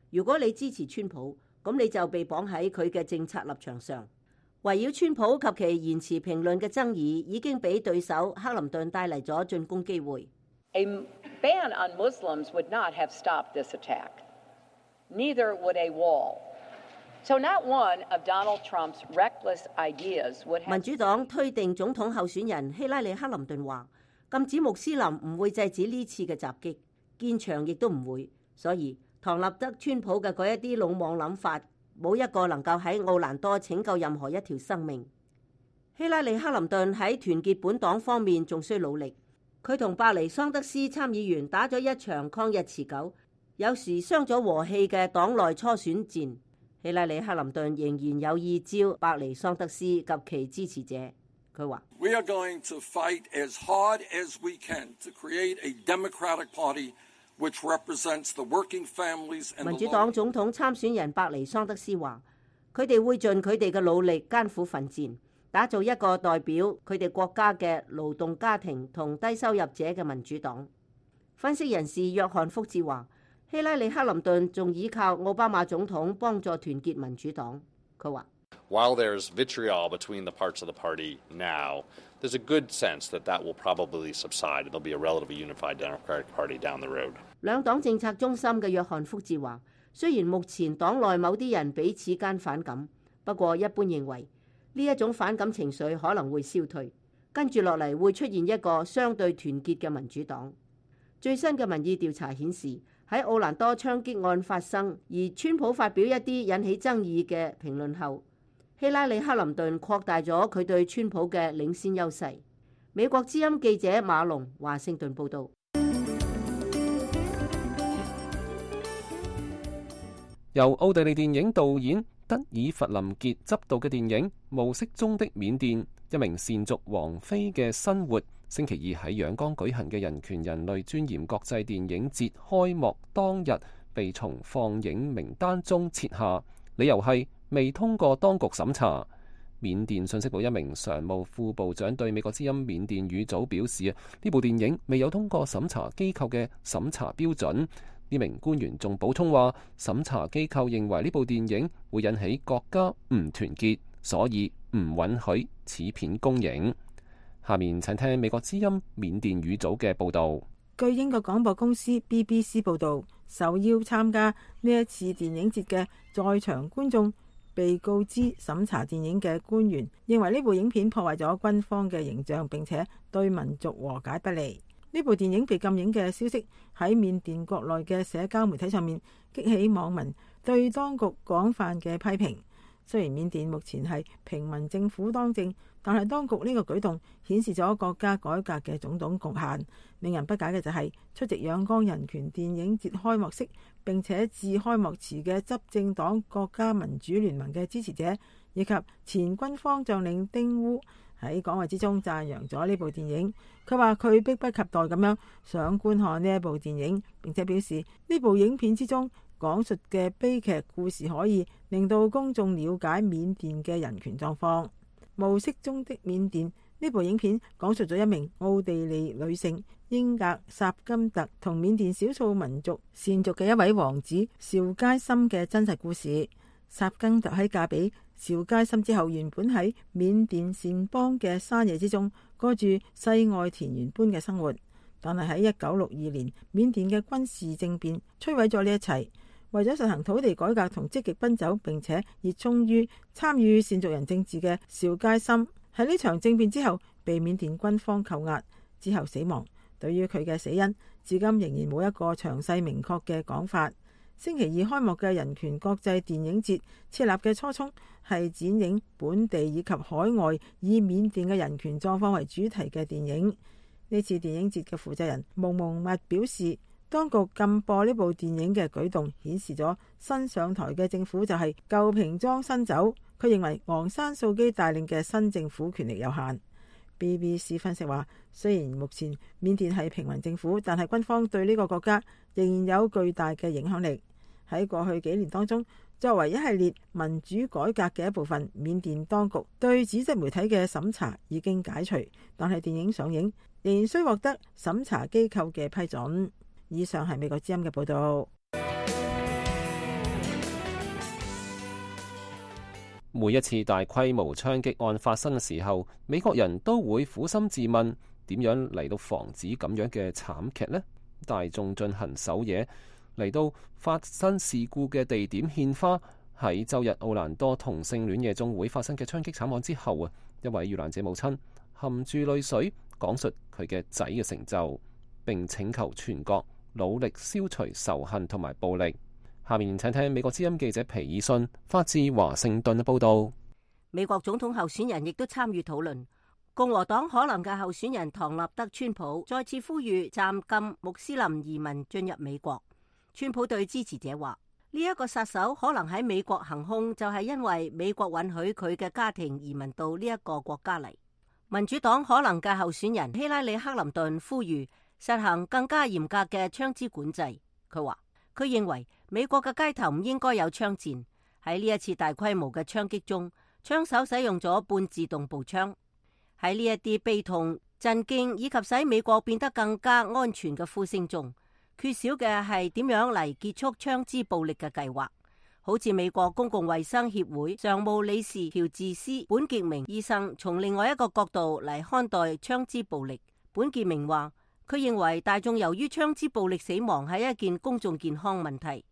如果你支持川普，咁你就被綁喺佢嘅政策立場上。圍繞川普及其言辭評論嘅爭議，已經俾對手克林頓帶嚟咗進攻機會。A ban on Muslims would not have stopped this attack. Neither would a wall. So not one of Donald Trump's reckless ideas would have... 民主黨推定總統候選人希拉里克林頓話：禁止穆斯林唔會制止呢次嘅襲擊，建牆亦都唔會。所以唐納德川普嘅嗰一啲魯莽諗法，冇一個能夠喺奧蘭多拯救任何一條生命。希拉里克林頓喺團結本黨方面仲需努力。佢同伯尼桑德斯參議員打咗一場抗日持久，有時傷咗和氣嘅黨內初選戰。希拉里克林頓仍然有意招伯尼桑德斯及其支持者。佢話：民主黨總統參選人伯尼桑德斯話：佢哋會盡佢哋嘅努力，艱苦奮戰，打造一個代表佢哋國家嘅勞動家庭同低收入者嘅民主黨。分析人士約翰福茲話：希拉里克林頓仲依靠奧巴馬總統幫助團結民主黨。佢話：While there's vitriol between the parts of the party now, there's a good sense that that will probably subside and there'll be a relatively unified Democratic Party down the road. 兩黨政策中心嘅約翰福茲話：雖然目前黨內某啲人彼此間反感，不過一般認為呢一種反感情緒可能會消退，跟住落嚟會出現一個相對團結嘅民主黨。最新嘅民意調查顯示，喺奧蘭多槍擊案發生而川普發表一啲引起爭議嘅評論後，希拉里克林頓擴大咗佢對川普嘅領先優勢。美國之音記者馬龍華盛頓報導。由奧地利電影導演德爾弗林傑執導嘅電影《暮色中的緬甸》，一名善族王妃嘅生活，星期二喺仰光舉行嘅人權人類尊嚴國際電影節開幕當日被從放映名單中撤下，理由係未通過當局審查。緬甸信息部一名常務副部長對美國之音緬甸語組表示，呢部電影未有通過審查機構嘅審查標準。呢名官員仲補充話，審查機構認為呢部電影會引起國家唔團結，所以唔允許此片公映。下面請聽美國之音緬甸語組嘅報導。據英國廣播公司 BBC 報導，受邀參加呢一次電影節嘅在場觀眾被告知審查電影嘅官員認為呢部影片破壞咗軍方嘅形象，並且對民族和解不利。呢部電影被禁映嘅消息喺緬甸國內嘅社交媒體上面激起網民對當局廣泛嘅批評。雖然緬甸目前係平民政府當政，但係當局呢個舉動顯示咗國家改革嘅種種局限。令人不解嘅就係出席仰光人權電影節開幕式並且致開幕詞嘅執政黨國家民主聯盟嘅支持者，以及前軍方將領丁烏喺講話之中讚揚咗呢部電影。佢話佢迫不及待咁樣想觀看呢一部電影，並且表示呢部影片之中講述嘅悲劇故事可以令到公眾了解緬甸嘅人權狀況。暮色中的緬甸呢部影片講述咗一名奧地利女性英格薩金特同緬甸少數民族善族嘅一位王子邵佳森嘅真實故事。薩金特喺嫁俾邵佳森之後，原本喺緬甸善邦嘅山野之中過住世外田園般嘅生活，但係喺1962年緬甸嘅軍事政變摧毀咗呢一切。為咗實行土地改革同積極奔走並且熱衷於參與善族人政治嘅邵佳森，喺呢場政變之後被緬甸軍方扣押，之後死亡。對於佢嘅死因，至今仍然冇一個詳細明確嘅講法。星期二開幕嘅人權國際電影節設立嘅初衷係展映本地以及海外以緬甸嘅人權狀況為主題嘅電影。呢次電影節嘅負責人蒙蒙密表示，當局禁播呢部電影嘅舉動顯示咗新上台嘅政府就係舊瓶裝新酒。佢認為昂山素基帶領嘅新政府權力有限。BBC 分析話，雖然目前緬甸係平民政府，但係軍方對呢個國家仍然有巨大嘅影響力。喺過去幾年當中，作為一系列民主改革嘅一部分，緬甸當局對紙質媒體嘅審查已經解除，但係電影上映仍然需獲得審查機構嘅批准。以上係美國之音嘅報道。每一次大規模槍擊案發生嘅時候，美國人都會苦心自問，點樣嚟到防止咁樣嘅慘劇呢？大眾進行守夜，嚟到發生事故嘅地點獻花。喺周日奧蘭多同性戀夜總會發生嘅槍擊慘案之後啊，一位遇難者母親含住淚水講述佢嘅仔嘅成就，並請求全國努力消除仇恨同埋暴力。下面請聽美國之音記者皮爾遜發自華盛頓嘅報道。美國總統候選人亦都參與討論。共和黨可能嘅候選人唐納德·川普再次呼籲暫禁穆斯林移民進入美國。川普對支持者話：呢一個殺手可能喺美國行兇，就係因為美國允許佢嘅家庭移民到呢一個國家嚟。民主黨可能嘅候選人希拉里·克林頓呼籲實行更加嚴格嘅槍支管制。佢話佢認為美國嘅街頭唔應該有槍戰。喺呢一次大規模嘅槍擊中，槍手使用咗半自動步槍。喺呢一啲悲痛、震驚以及使美國變得更加安全嘅呼聲中，缺少嘅係點樣嚟結束槍支暴力嘅計劃。好似美國公共衛生協會常務理事喬治斯本傑明醫生從另外一個角度嚟看待槍支暴力。本傑明話，佢認為大眾由於槍支暴力死亡係一件公眾健康問題。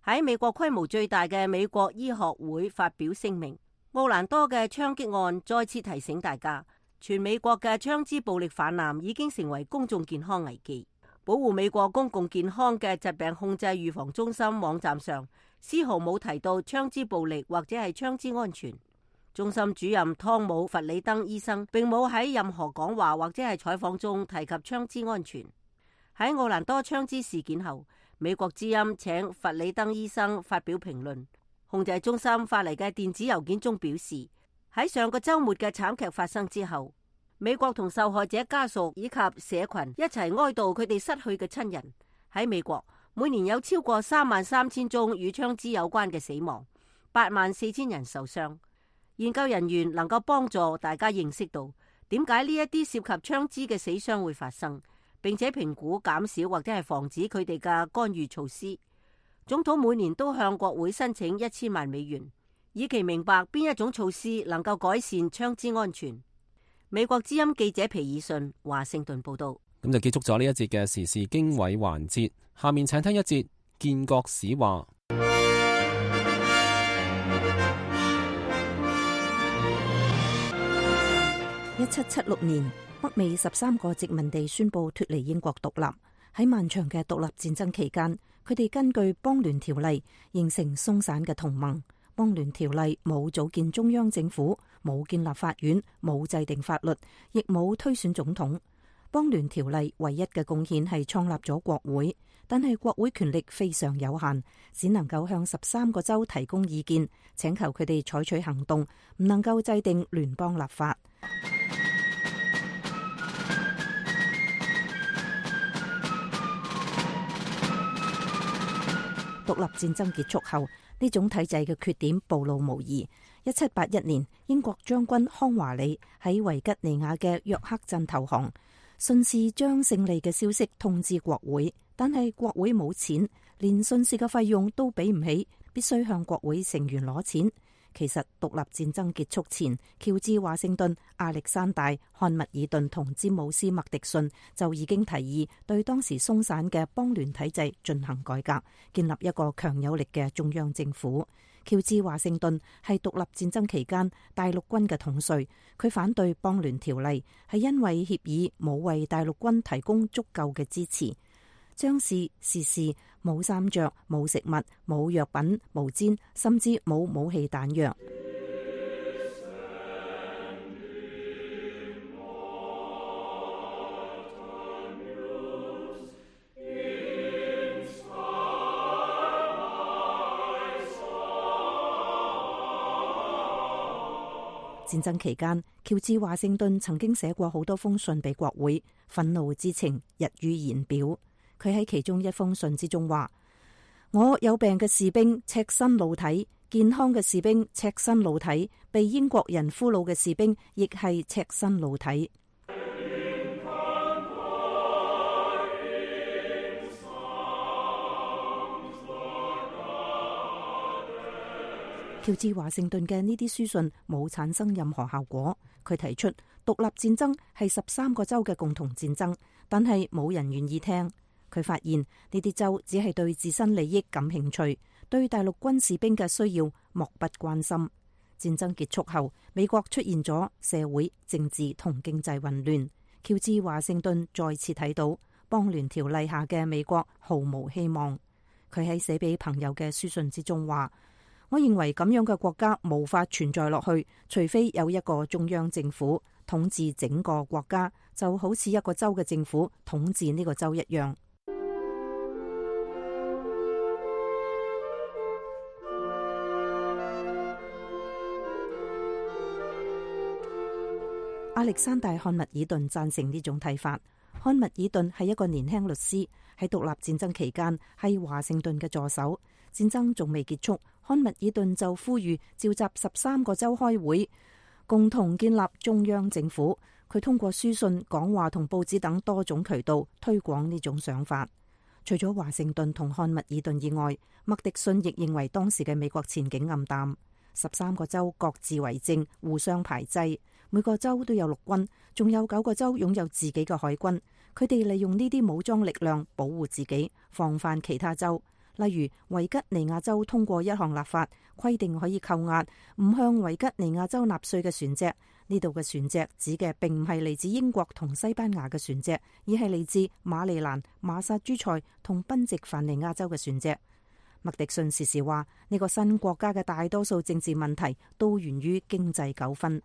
喺美國規模最大嘅美國醫學會發表聲明，奧蘭多嘅槍擊案再次提醒大家，全美國嘅槍支暴力泛濫已經成為公眾健康危機。保護美國公共健康嘅疾病控制預防中心網站上絲毫冇提到槍支暴力或者係槍支安全。中心主任湯姆·弗里登醫生並冇喺任何講話或者係採訪中提及槍支安全。喺奧蘭多槍支事件後，美國之音請弗里登醫生發表評論。控制中心發嚟嘅電子郵件中表示，喺上個週末嘅慘劇發生之後，美國同受害者家屬以及社群一齊哀悼佢哋失去嘅親人。喺美國，每年有超過33000宗與槍支有關嘅死亡，84000人受傷。研究人員能夠幫助大家認識到點解呢一啲涉及槍支嘅死傷會發生，並且評估減少或者係防止佢哋嘅干預措施。總統每年都向國會申請1000萬美元，以期明白邊一種措施能夠改善槍支安全。美國之音記者皮爾遜華盛頓報道。咁就結束咗呢一節嘅時事經緯環節，下面請聽一節建國史話。1776年，北美13個殖民地宣布脫離英國獨立。喺漫長嘅獨立戰爭期間，佢哋根據邦聯條例形成鬆散嘅同盟。邦聯條例冇組建中央政府，冇建立法院，冇制定法律，亦冇推選總統。邦聯條例唯一嘅貢獻係創立咗國會，但係國會權力非常有限，只能夠向13個州提供意見，請求佢哋採取行動，唔能夠制定聯邦立法。獨立戰爭結束後，呢種體制嘅缺點暴露無遺。1781年，英國將軍康華里喺維吉尼亞嘅約克鎮投降，順勢將勝利嘅消息通知國會，但係國會冇錢，連順勢嘅費用都俾唔起，必須向國會成員攞錢。其實獨立戰爭結束前，喬治華盛頓、亞歷山大、漢密爾頓同詹姆斯麥迪遜就已經提議對當時鬆散嘅邦聯體制進行改革，建立一個強有力嘅中央政府。喬治華盛頓係獨立戰爭期間大陸軍嘅統帥，佢反對邦聯條例，係因為協議冇為大陸軍提供足夠嘅支持。將士、士士冇衫着、冇食物、冇藥品、毛氈，甚至冇武器彈藥。戰爭期間，喬治華盛頓曾經寫過好多封信俾國會，憤怒之情溢於言表。佢喺其中一封信之中話：我有病嘅士兵赤身露體，健康嘅士兵赤身露體，被英國人俘虜嘅士兵亦係赤身露體。喬治華盛頓嘅呢啲書信冇產生任何效果。佢提出獨立戰爭係13個州嘅共同戰爭，但係冇人願意聽。佢發現呢啲州只係對自身利益感興趣，對大陸軍士兵嘅需要漠不關心。戰爭結束後，美國出現咗社會、政治同經濟混亂。喬治華盛頓再次睇到邦聯條例下嘅美國毫無希望。佢喺寫俾朋友嘅書信之中話：我認為咁樣嘅國家無法存在落去，除非有一個中央政府統治整個國家，就好似一個州嘅政府統治呢個州一樣。亞歷山大·漢密爾頓贊成呢種睇法。漢密爾頓係一個年輕律師，喺獨立戰爭期間係華盛頓嘅助手。戰爭仲未結束，漢密爾頓就呼籲召集13個州開會，共同建立中央政府。佢通過書信、講話同報紙等多種渠道推廣呢種想法。除咗華盛頓同漢密爾頓以外，麥迪遜亦認為當時嘅美國前景暗淡。13個州各自為政，互相排擠。每個州都有陸軍，仲有9個州擁有自己嘅海軍。佢哋利用呢啲武裝力量保護自己，防範其他州。例如維吉尼亞州通過一項立法，規定可以扣押唔向維吉尼亞州納稅嘅船隻。呢度嘅船隻指嘅並唔係嚟自英國同西班牙嘅船隻，而係嚟自馬里蘭、馬薩諸塞同賓夕凡尼亞州嘅船隻。麥迪遜時時話：呢個新國家嘅大多數政治問題都源於經濟糾紛。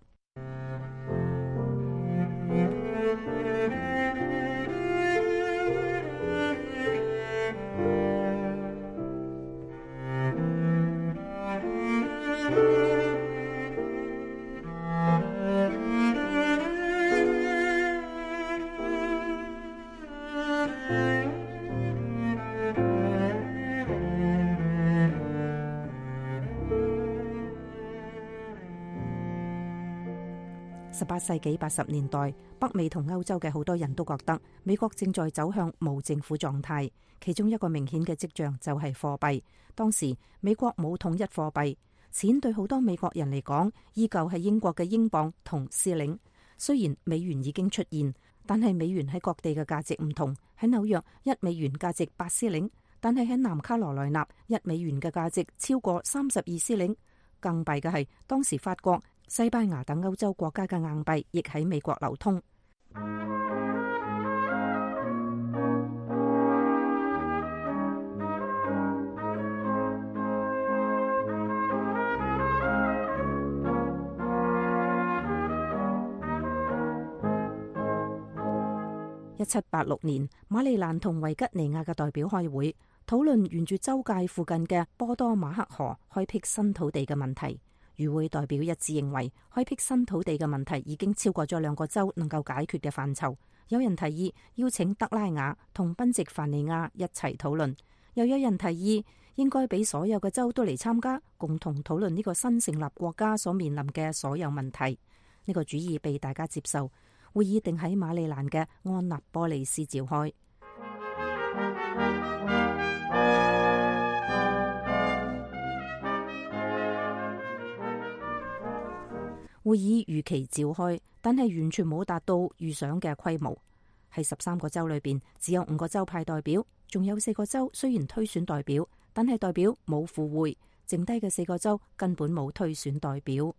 18世紀80年代，北美同歐洲嘅好多人都覺得美國正在走向無政府狀態，其中一個明顯嘅跡象就係貨幣。當時美國冇統一貨幣，錢對好多美國人嚟講依舊係英國嘅英鎊同施令。雖然美元已經出現，但係美元喺各地嘅價值唔同。喺紐約，1美元價值8施令，但係喺南卡羅來納，1美元嘅價值超過32施令。更弊嘅係，當時法國、西班牙等歐洲國家嘅硬幣亦喺美國流通。1786年，馬里蘭同維吉尼亞嘅代表開會，討論沿住州界附近嘅波多馬克河開闢新土地嘅問題。與會代表一致認為，開闢新土地嘅問題已經超過咗2個州能夠解決嘅範疇。有人提議邀請德拉瓦同賓夕凡尼亞一齊討論，又有人提議應該俾所有嘅州都嚟參加，共同討論呢個新成立國家所面臨嘅所有問題。呢個主意被大家接受。會議定喺馬里蘭嘅安納波利斯召開。會議如期召開，但係完全冇達到預想嘅規模。喺13個州裏邊，只有5個州派代表，仲有4個州雖然推選代表，但係代表冇赴會，剩低嘅4個州根本冇推選代表。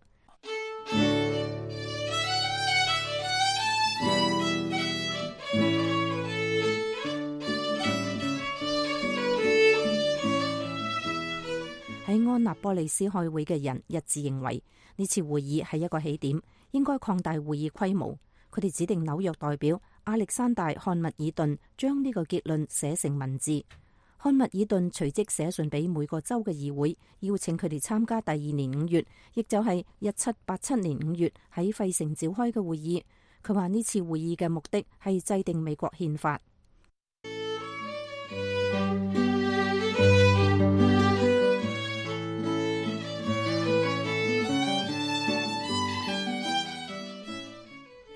喺安納波利斯開會嘅人一致認為，呢次會議係一個起點，應該擴大會議規模。佢哋指定紐約代表亞歷山大·漢密爾頓將呢個結論寫成文字。漢密爾頓隨即寫信俾每個州嘅議會，邀請佢哋參加第2年5月，亦就係1787年5月喺費城召開嘅會議。佢話呢次會議嘅目的係制定美國憲法。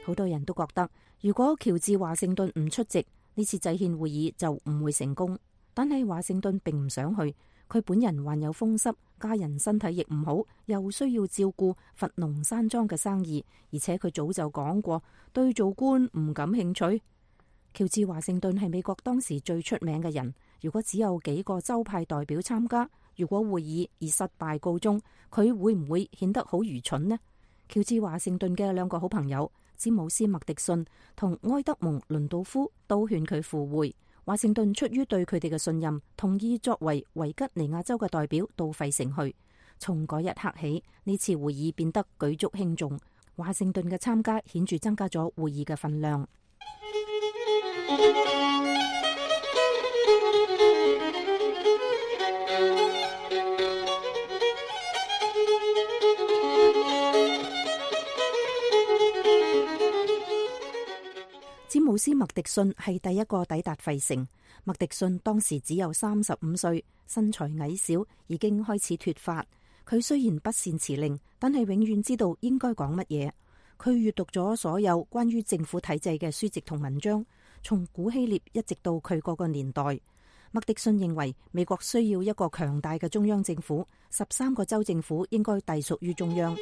好多人都覺得，如果喬治華盛頓唔出席，呢次制憲會議就唔會成功。但係華盛頓並唔想去，佢本人患有風濕，家人身體亦唔好，又需要照顧佛農山莊嘅生意，而且佢早就講過對做官唔感興趣。喬治華盛頓係美國當時最出名嘅人，如果只有幾個州派代表參加，如果會議以失敗告終，佢會唔會顯得好愚蠢呢？喬治華盛頓嘅2個好朋友詹姆斯麥迪遜同埃德蒙倫道夫都勸佢赴會。華盛頓出於對佢哋嘅信任，同意作為維吉尼亞州嘅代表到費城去。從嗰一刻起，呢次會議變得舉足輕重。華盛頓嘅參加顯著增加咗會議嘅分量。詹姆斯麥迪遜係第一個抵達費城。麥迪遜當時只有35歲，身材矮小，已經開始脫髮。佢雖然不善辭令，但係永遠知道應該講乜嘢。佢閱讀咗所有關於政府體制嘅書籍同文章，從古希臘一直到佢嗰個年代。麥迪遜認為美國需要一個強大嘅中央政府，13個州政府應該隸屬於中央。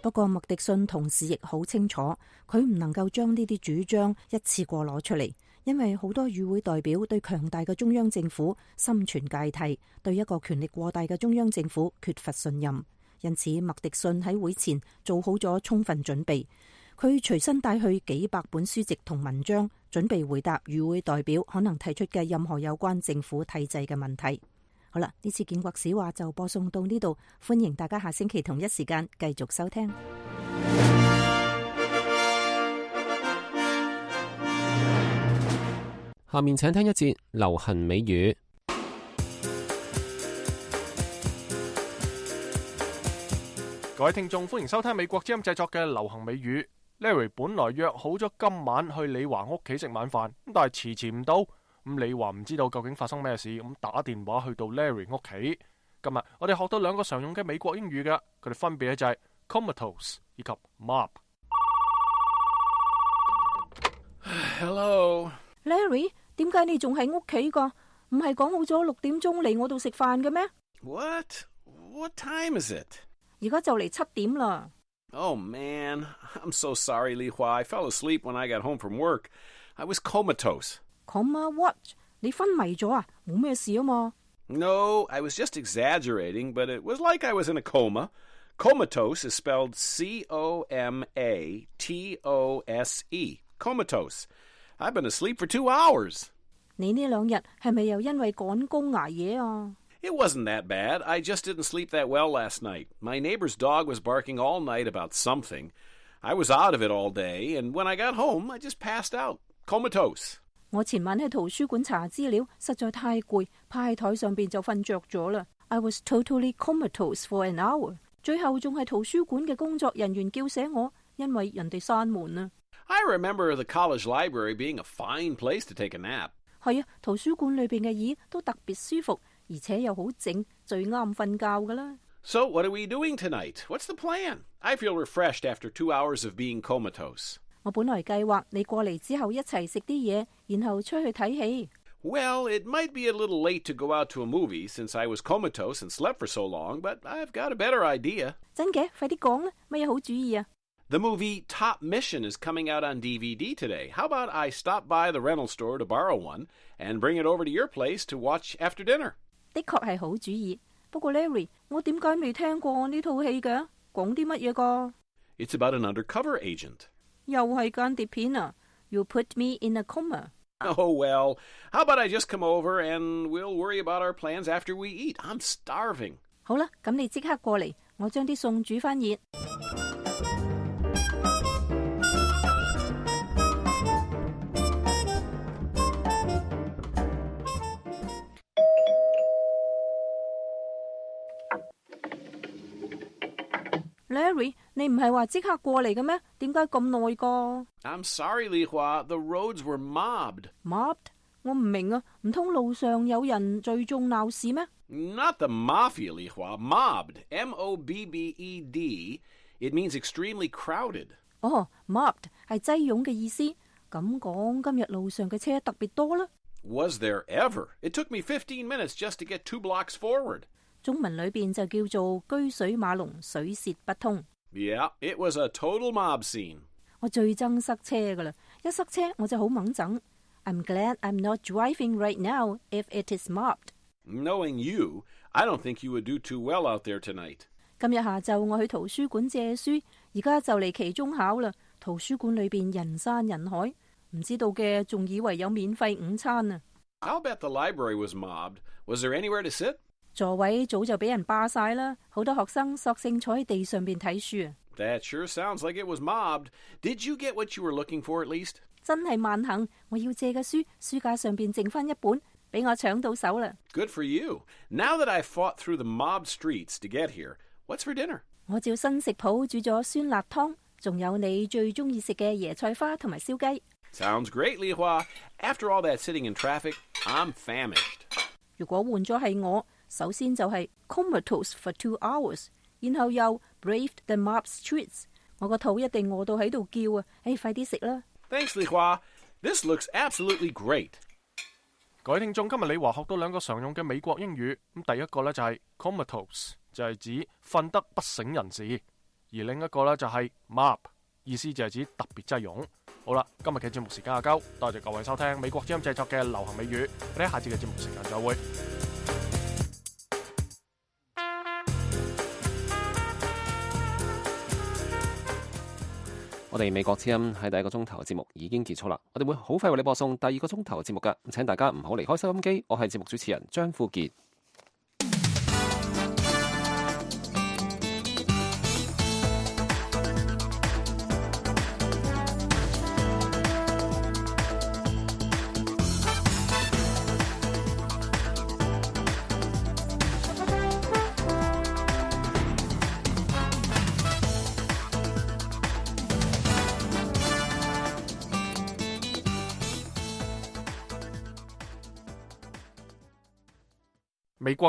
不過麥迪遜同時亦好清楚，佢唔能夠將呢啲主張一次過攞出嚟，因為好多與會代表對強大嘅中央政府心存芥蒂，對一個權力過大嘅中央政府缺乏信任。因此麥迪遜喺會前做好咗充分準備，佢隨身帶去幾百本書籍同文章，準備回答與會代表可能提出嘅任何有關政府體制嘅問題。好啦，呢次建國史話就播送到呢度，歡迎大家下星期同一時間繼續收聽。下面請聽一節流行美語。各位聽眾，歡迎收聽美國之音製作嘅流行美語。Larry 本來約好咗今晚去李華屋企食晚飯，但係遲唔到。咁李華唔知道究竟發生咩事，咁打電話去到 Larry 屋企。今日我哋學到兩個常用嘅美國英語嘅，佢哋分別咧就係 comatose 以及 mob。Hello， Larry， 點解你仲喺屋企㗎？唔係講好咗6點鐘嚟我度食飯嘅咩？ What time is it? 而家就嚟7點啦。Oh man, I'm so sorry, Li Hua. I fell asleep when I got home from work. I was comatose. Coma what? 你昏迷咗啊？冇咩事啊嘛。No, I was just exaggerating, but it was like I was in a coma. Comatose is spelled C-O-M-A-T-O-S-E. Comatose. I've been asleep for 2 hours. 你呢2日係咪又因為趕工捱夜啊？ It wasn't that bad. I just didn't sleep that well last night. My neighbor's dog was barking all night about something. I was out of it all day, and when I got home, I just passed out. Comatose. 我前晚喺圖書館查資料，實在太攰，趴喺台上邊就瞓着咗啦。I was totally comatose for an hour. 最後仲係圖書館嘅工作人員叫醒我，因為人哋閂門啊。I remember the college library being a fine place to take a nap. 係啊，圖書館裏邊嘅椅都特別舒服，而且又好靜，最啱瞓覺噶啦。So what are we doing tonight? What's the plan? I feel refreshed after 2 hours of being comatose. 我本來計劃你過嚟之後一齊食啲嘢，然後出去睇戲。Well, it might be a little late to go out to a movie since I was comatose and slept for so long, but I've got a better idea. 真嘅？快啲講啦，乜嘢好主意啊？ The movie Top Mission is coming out on DVD today. How about I stop by the rental store to borrow one and bring it over to your place to watch after dinner? 的確係好主意。不過 Larry， 我點解未聽過呢套戲嘅？講啲乜嘢㗎？ It's about an undercover agent. 又係間諜片啊 ！You put me in a coma. Oh, well, how about I just come over and we'll worry about our plans after we eat? I'm starving. 好啦，咁你即刻過嚟，我將啲餸煮返熱。Larry， 你唔係話即刻過嚟嘅咩？點解咁耐㗎？ I'm sorry, Li Hua. The roads were mobbed. Mobbed？ 我唔明啊，唔通路上有人聚眾鬧事咩？ Not the mafia, Li Hua. Mobbed. M-O-B-B-E-D. It means extremely crowded. 哦 ，mobbed 係擠擁嘅意思。咁講，今日路上嘅車特別多啦。Was there ever? It took me 15 minutes just to get 2 blocks forward. 中文裏邊就叫做車水馬龍，水泄不通。Yeah, it was a total mob scene. 我最憎塞車噶啦，一塞車我就好猛整。I'm glad I'm not driving right now if it is mobbed. Knowing you, I don't think you would do too well out there tonight. 今日下晝我去圖書館借書，而家就嚟期中考啦。圖書館裏邊人山人海，唔知道嘅仲以為有免費午餐啊。I'll bet the library was mobbed. Was there anywhere to sit? 座位早就俾人霸晒啦，好多學生索性坐喺地上邊睇書啊。That sure sounds like it was mobbed. Did you get what you were looking for at least? 真係萬幸，我要借嘅書，書架上邊剩翻一本，俾我搶到手啦。Good for you. Now that I've fought through the mobbed streets to get here, what's for dinner? 我照新食譜煮咗酸辣湯，仲有你最中意食嘅椰菜花同埋燒雞。Sounds great, Li Hua. After all that sitting in traffic, I'm famished. 如果換咗係我，首先就係 comatose for 2 hours， 然後又 braved the mob streets， 我個肚一定餓到喺度叫啊！快啲食啦！ Thanks, Li Hua. This looks absolutely great. 各位聽眾，今日李華學到兩個常用嘅美國英語。咁第一個呢就係 comatose， 就係指瞓得不省人事；而另一個呢就係 mob， 意思就係指特別擠擁。好啦，今日嘅節目時間夠，多謝各位收聽美國之音製作嘅流行美語。我哋下次嘅節目時間再會。我哋美國之音喺第一個鐘頭嘅節目已經結束啦，我哋會好快為你播送第二個鐘頭嘅節目㗎，請大家唔好離開收音機。我係節目主持人張富傑。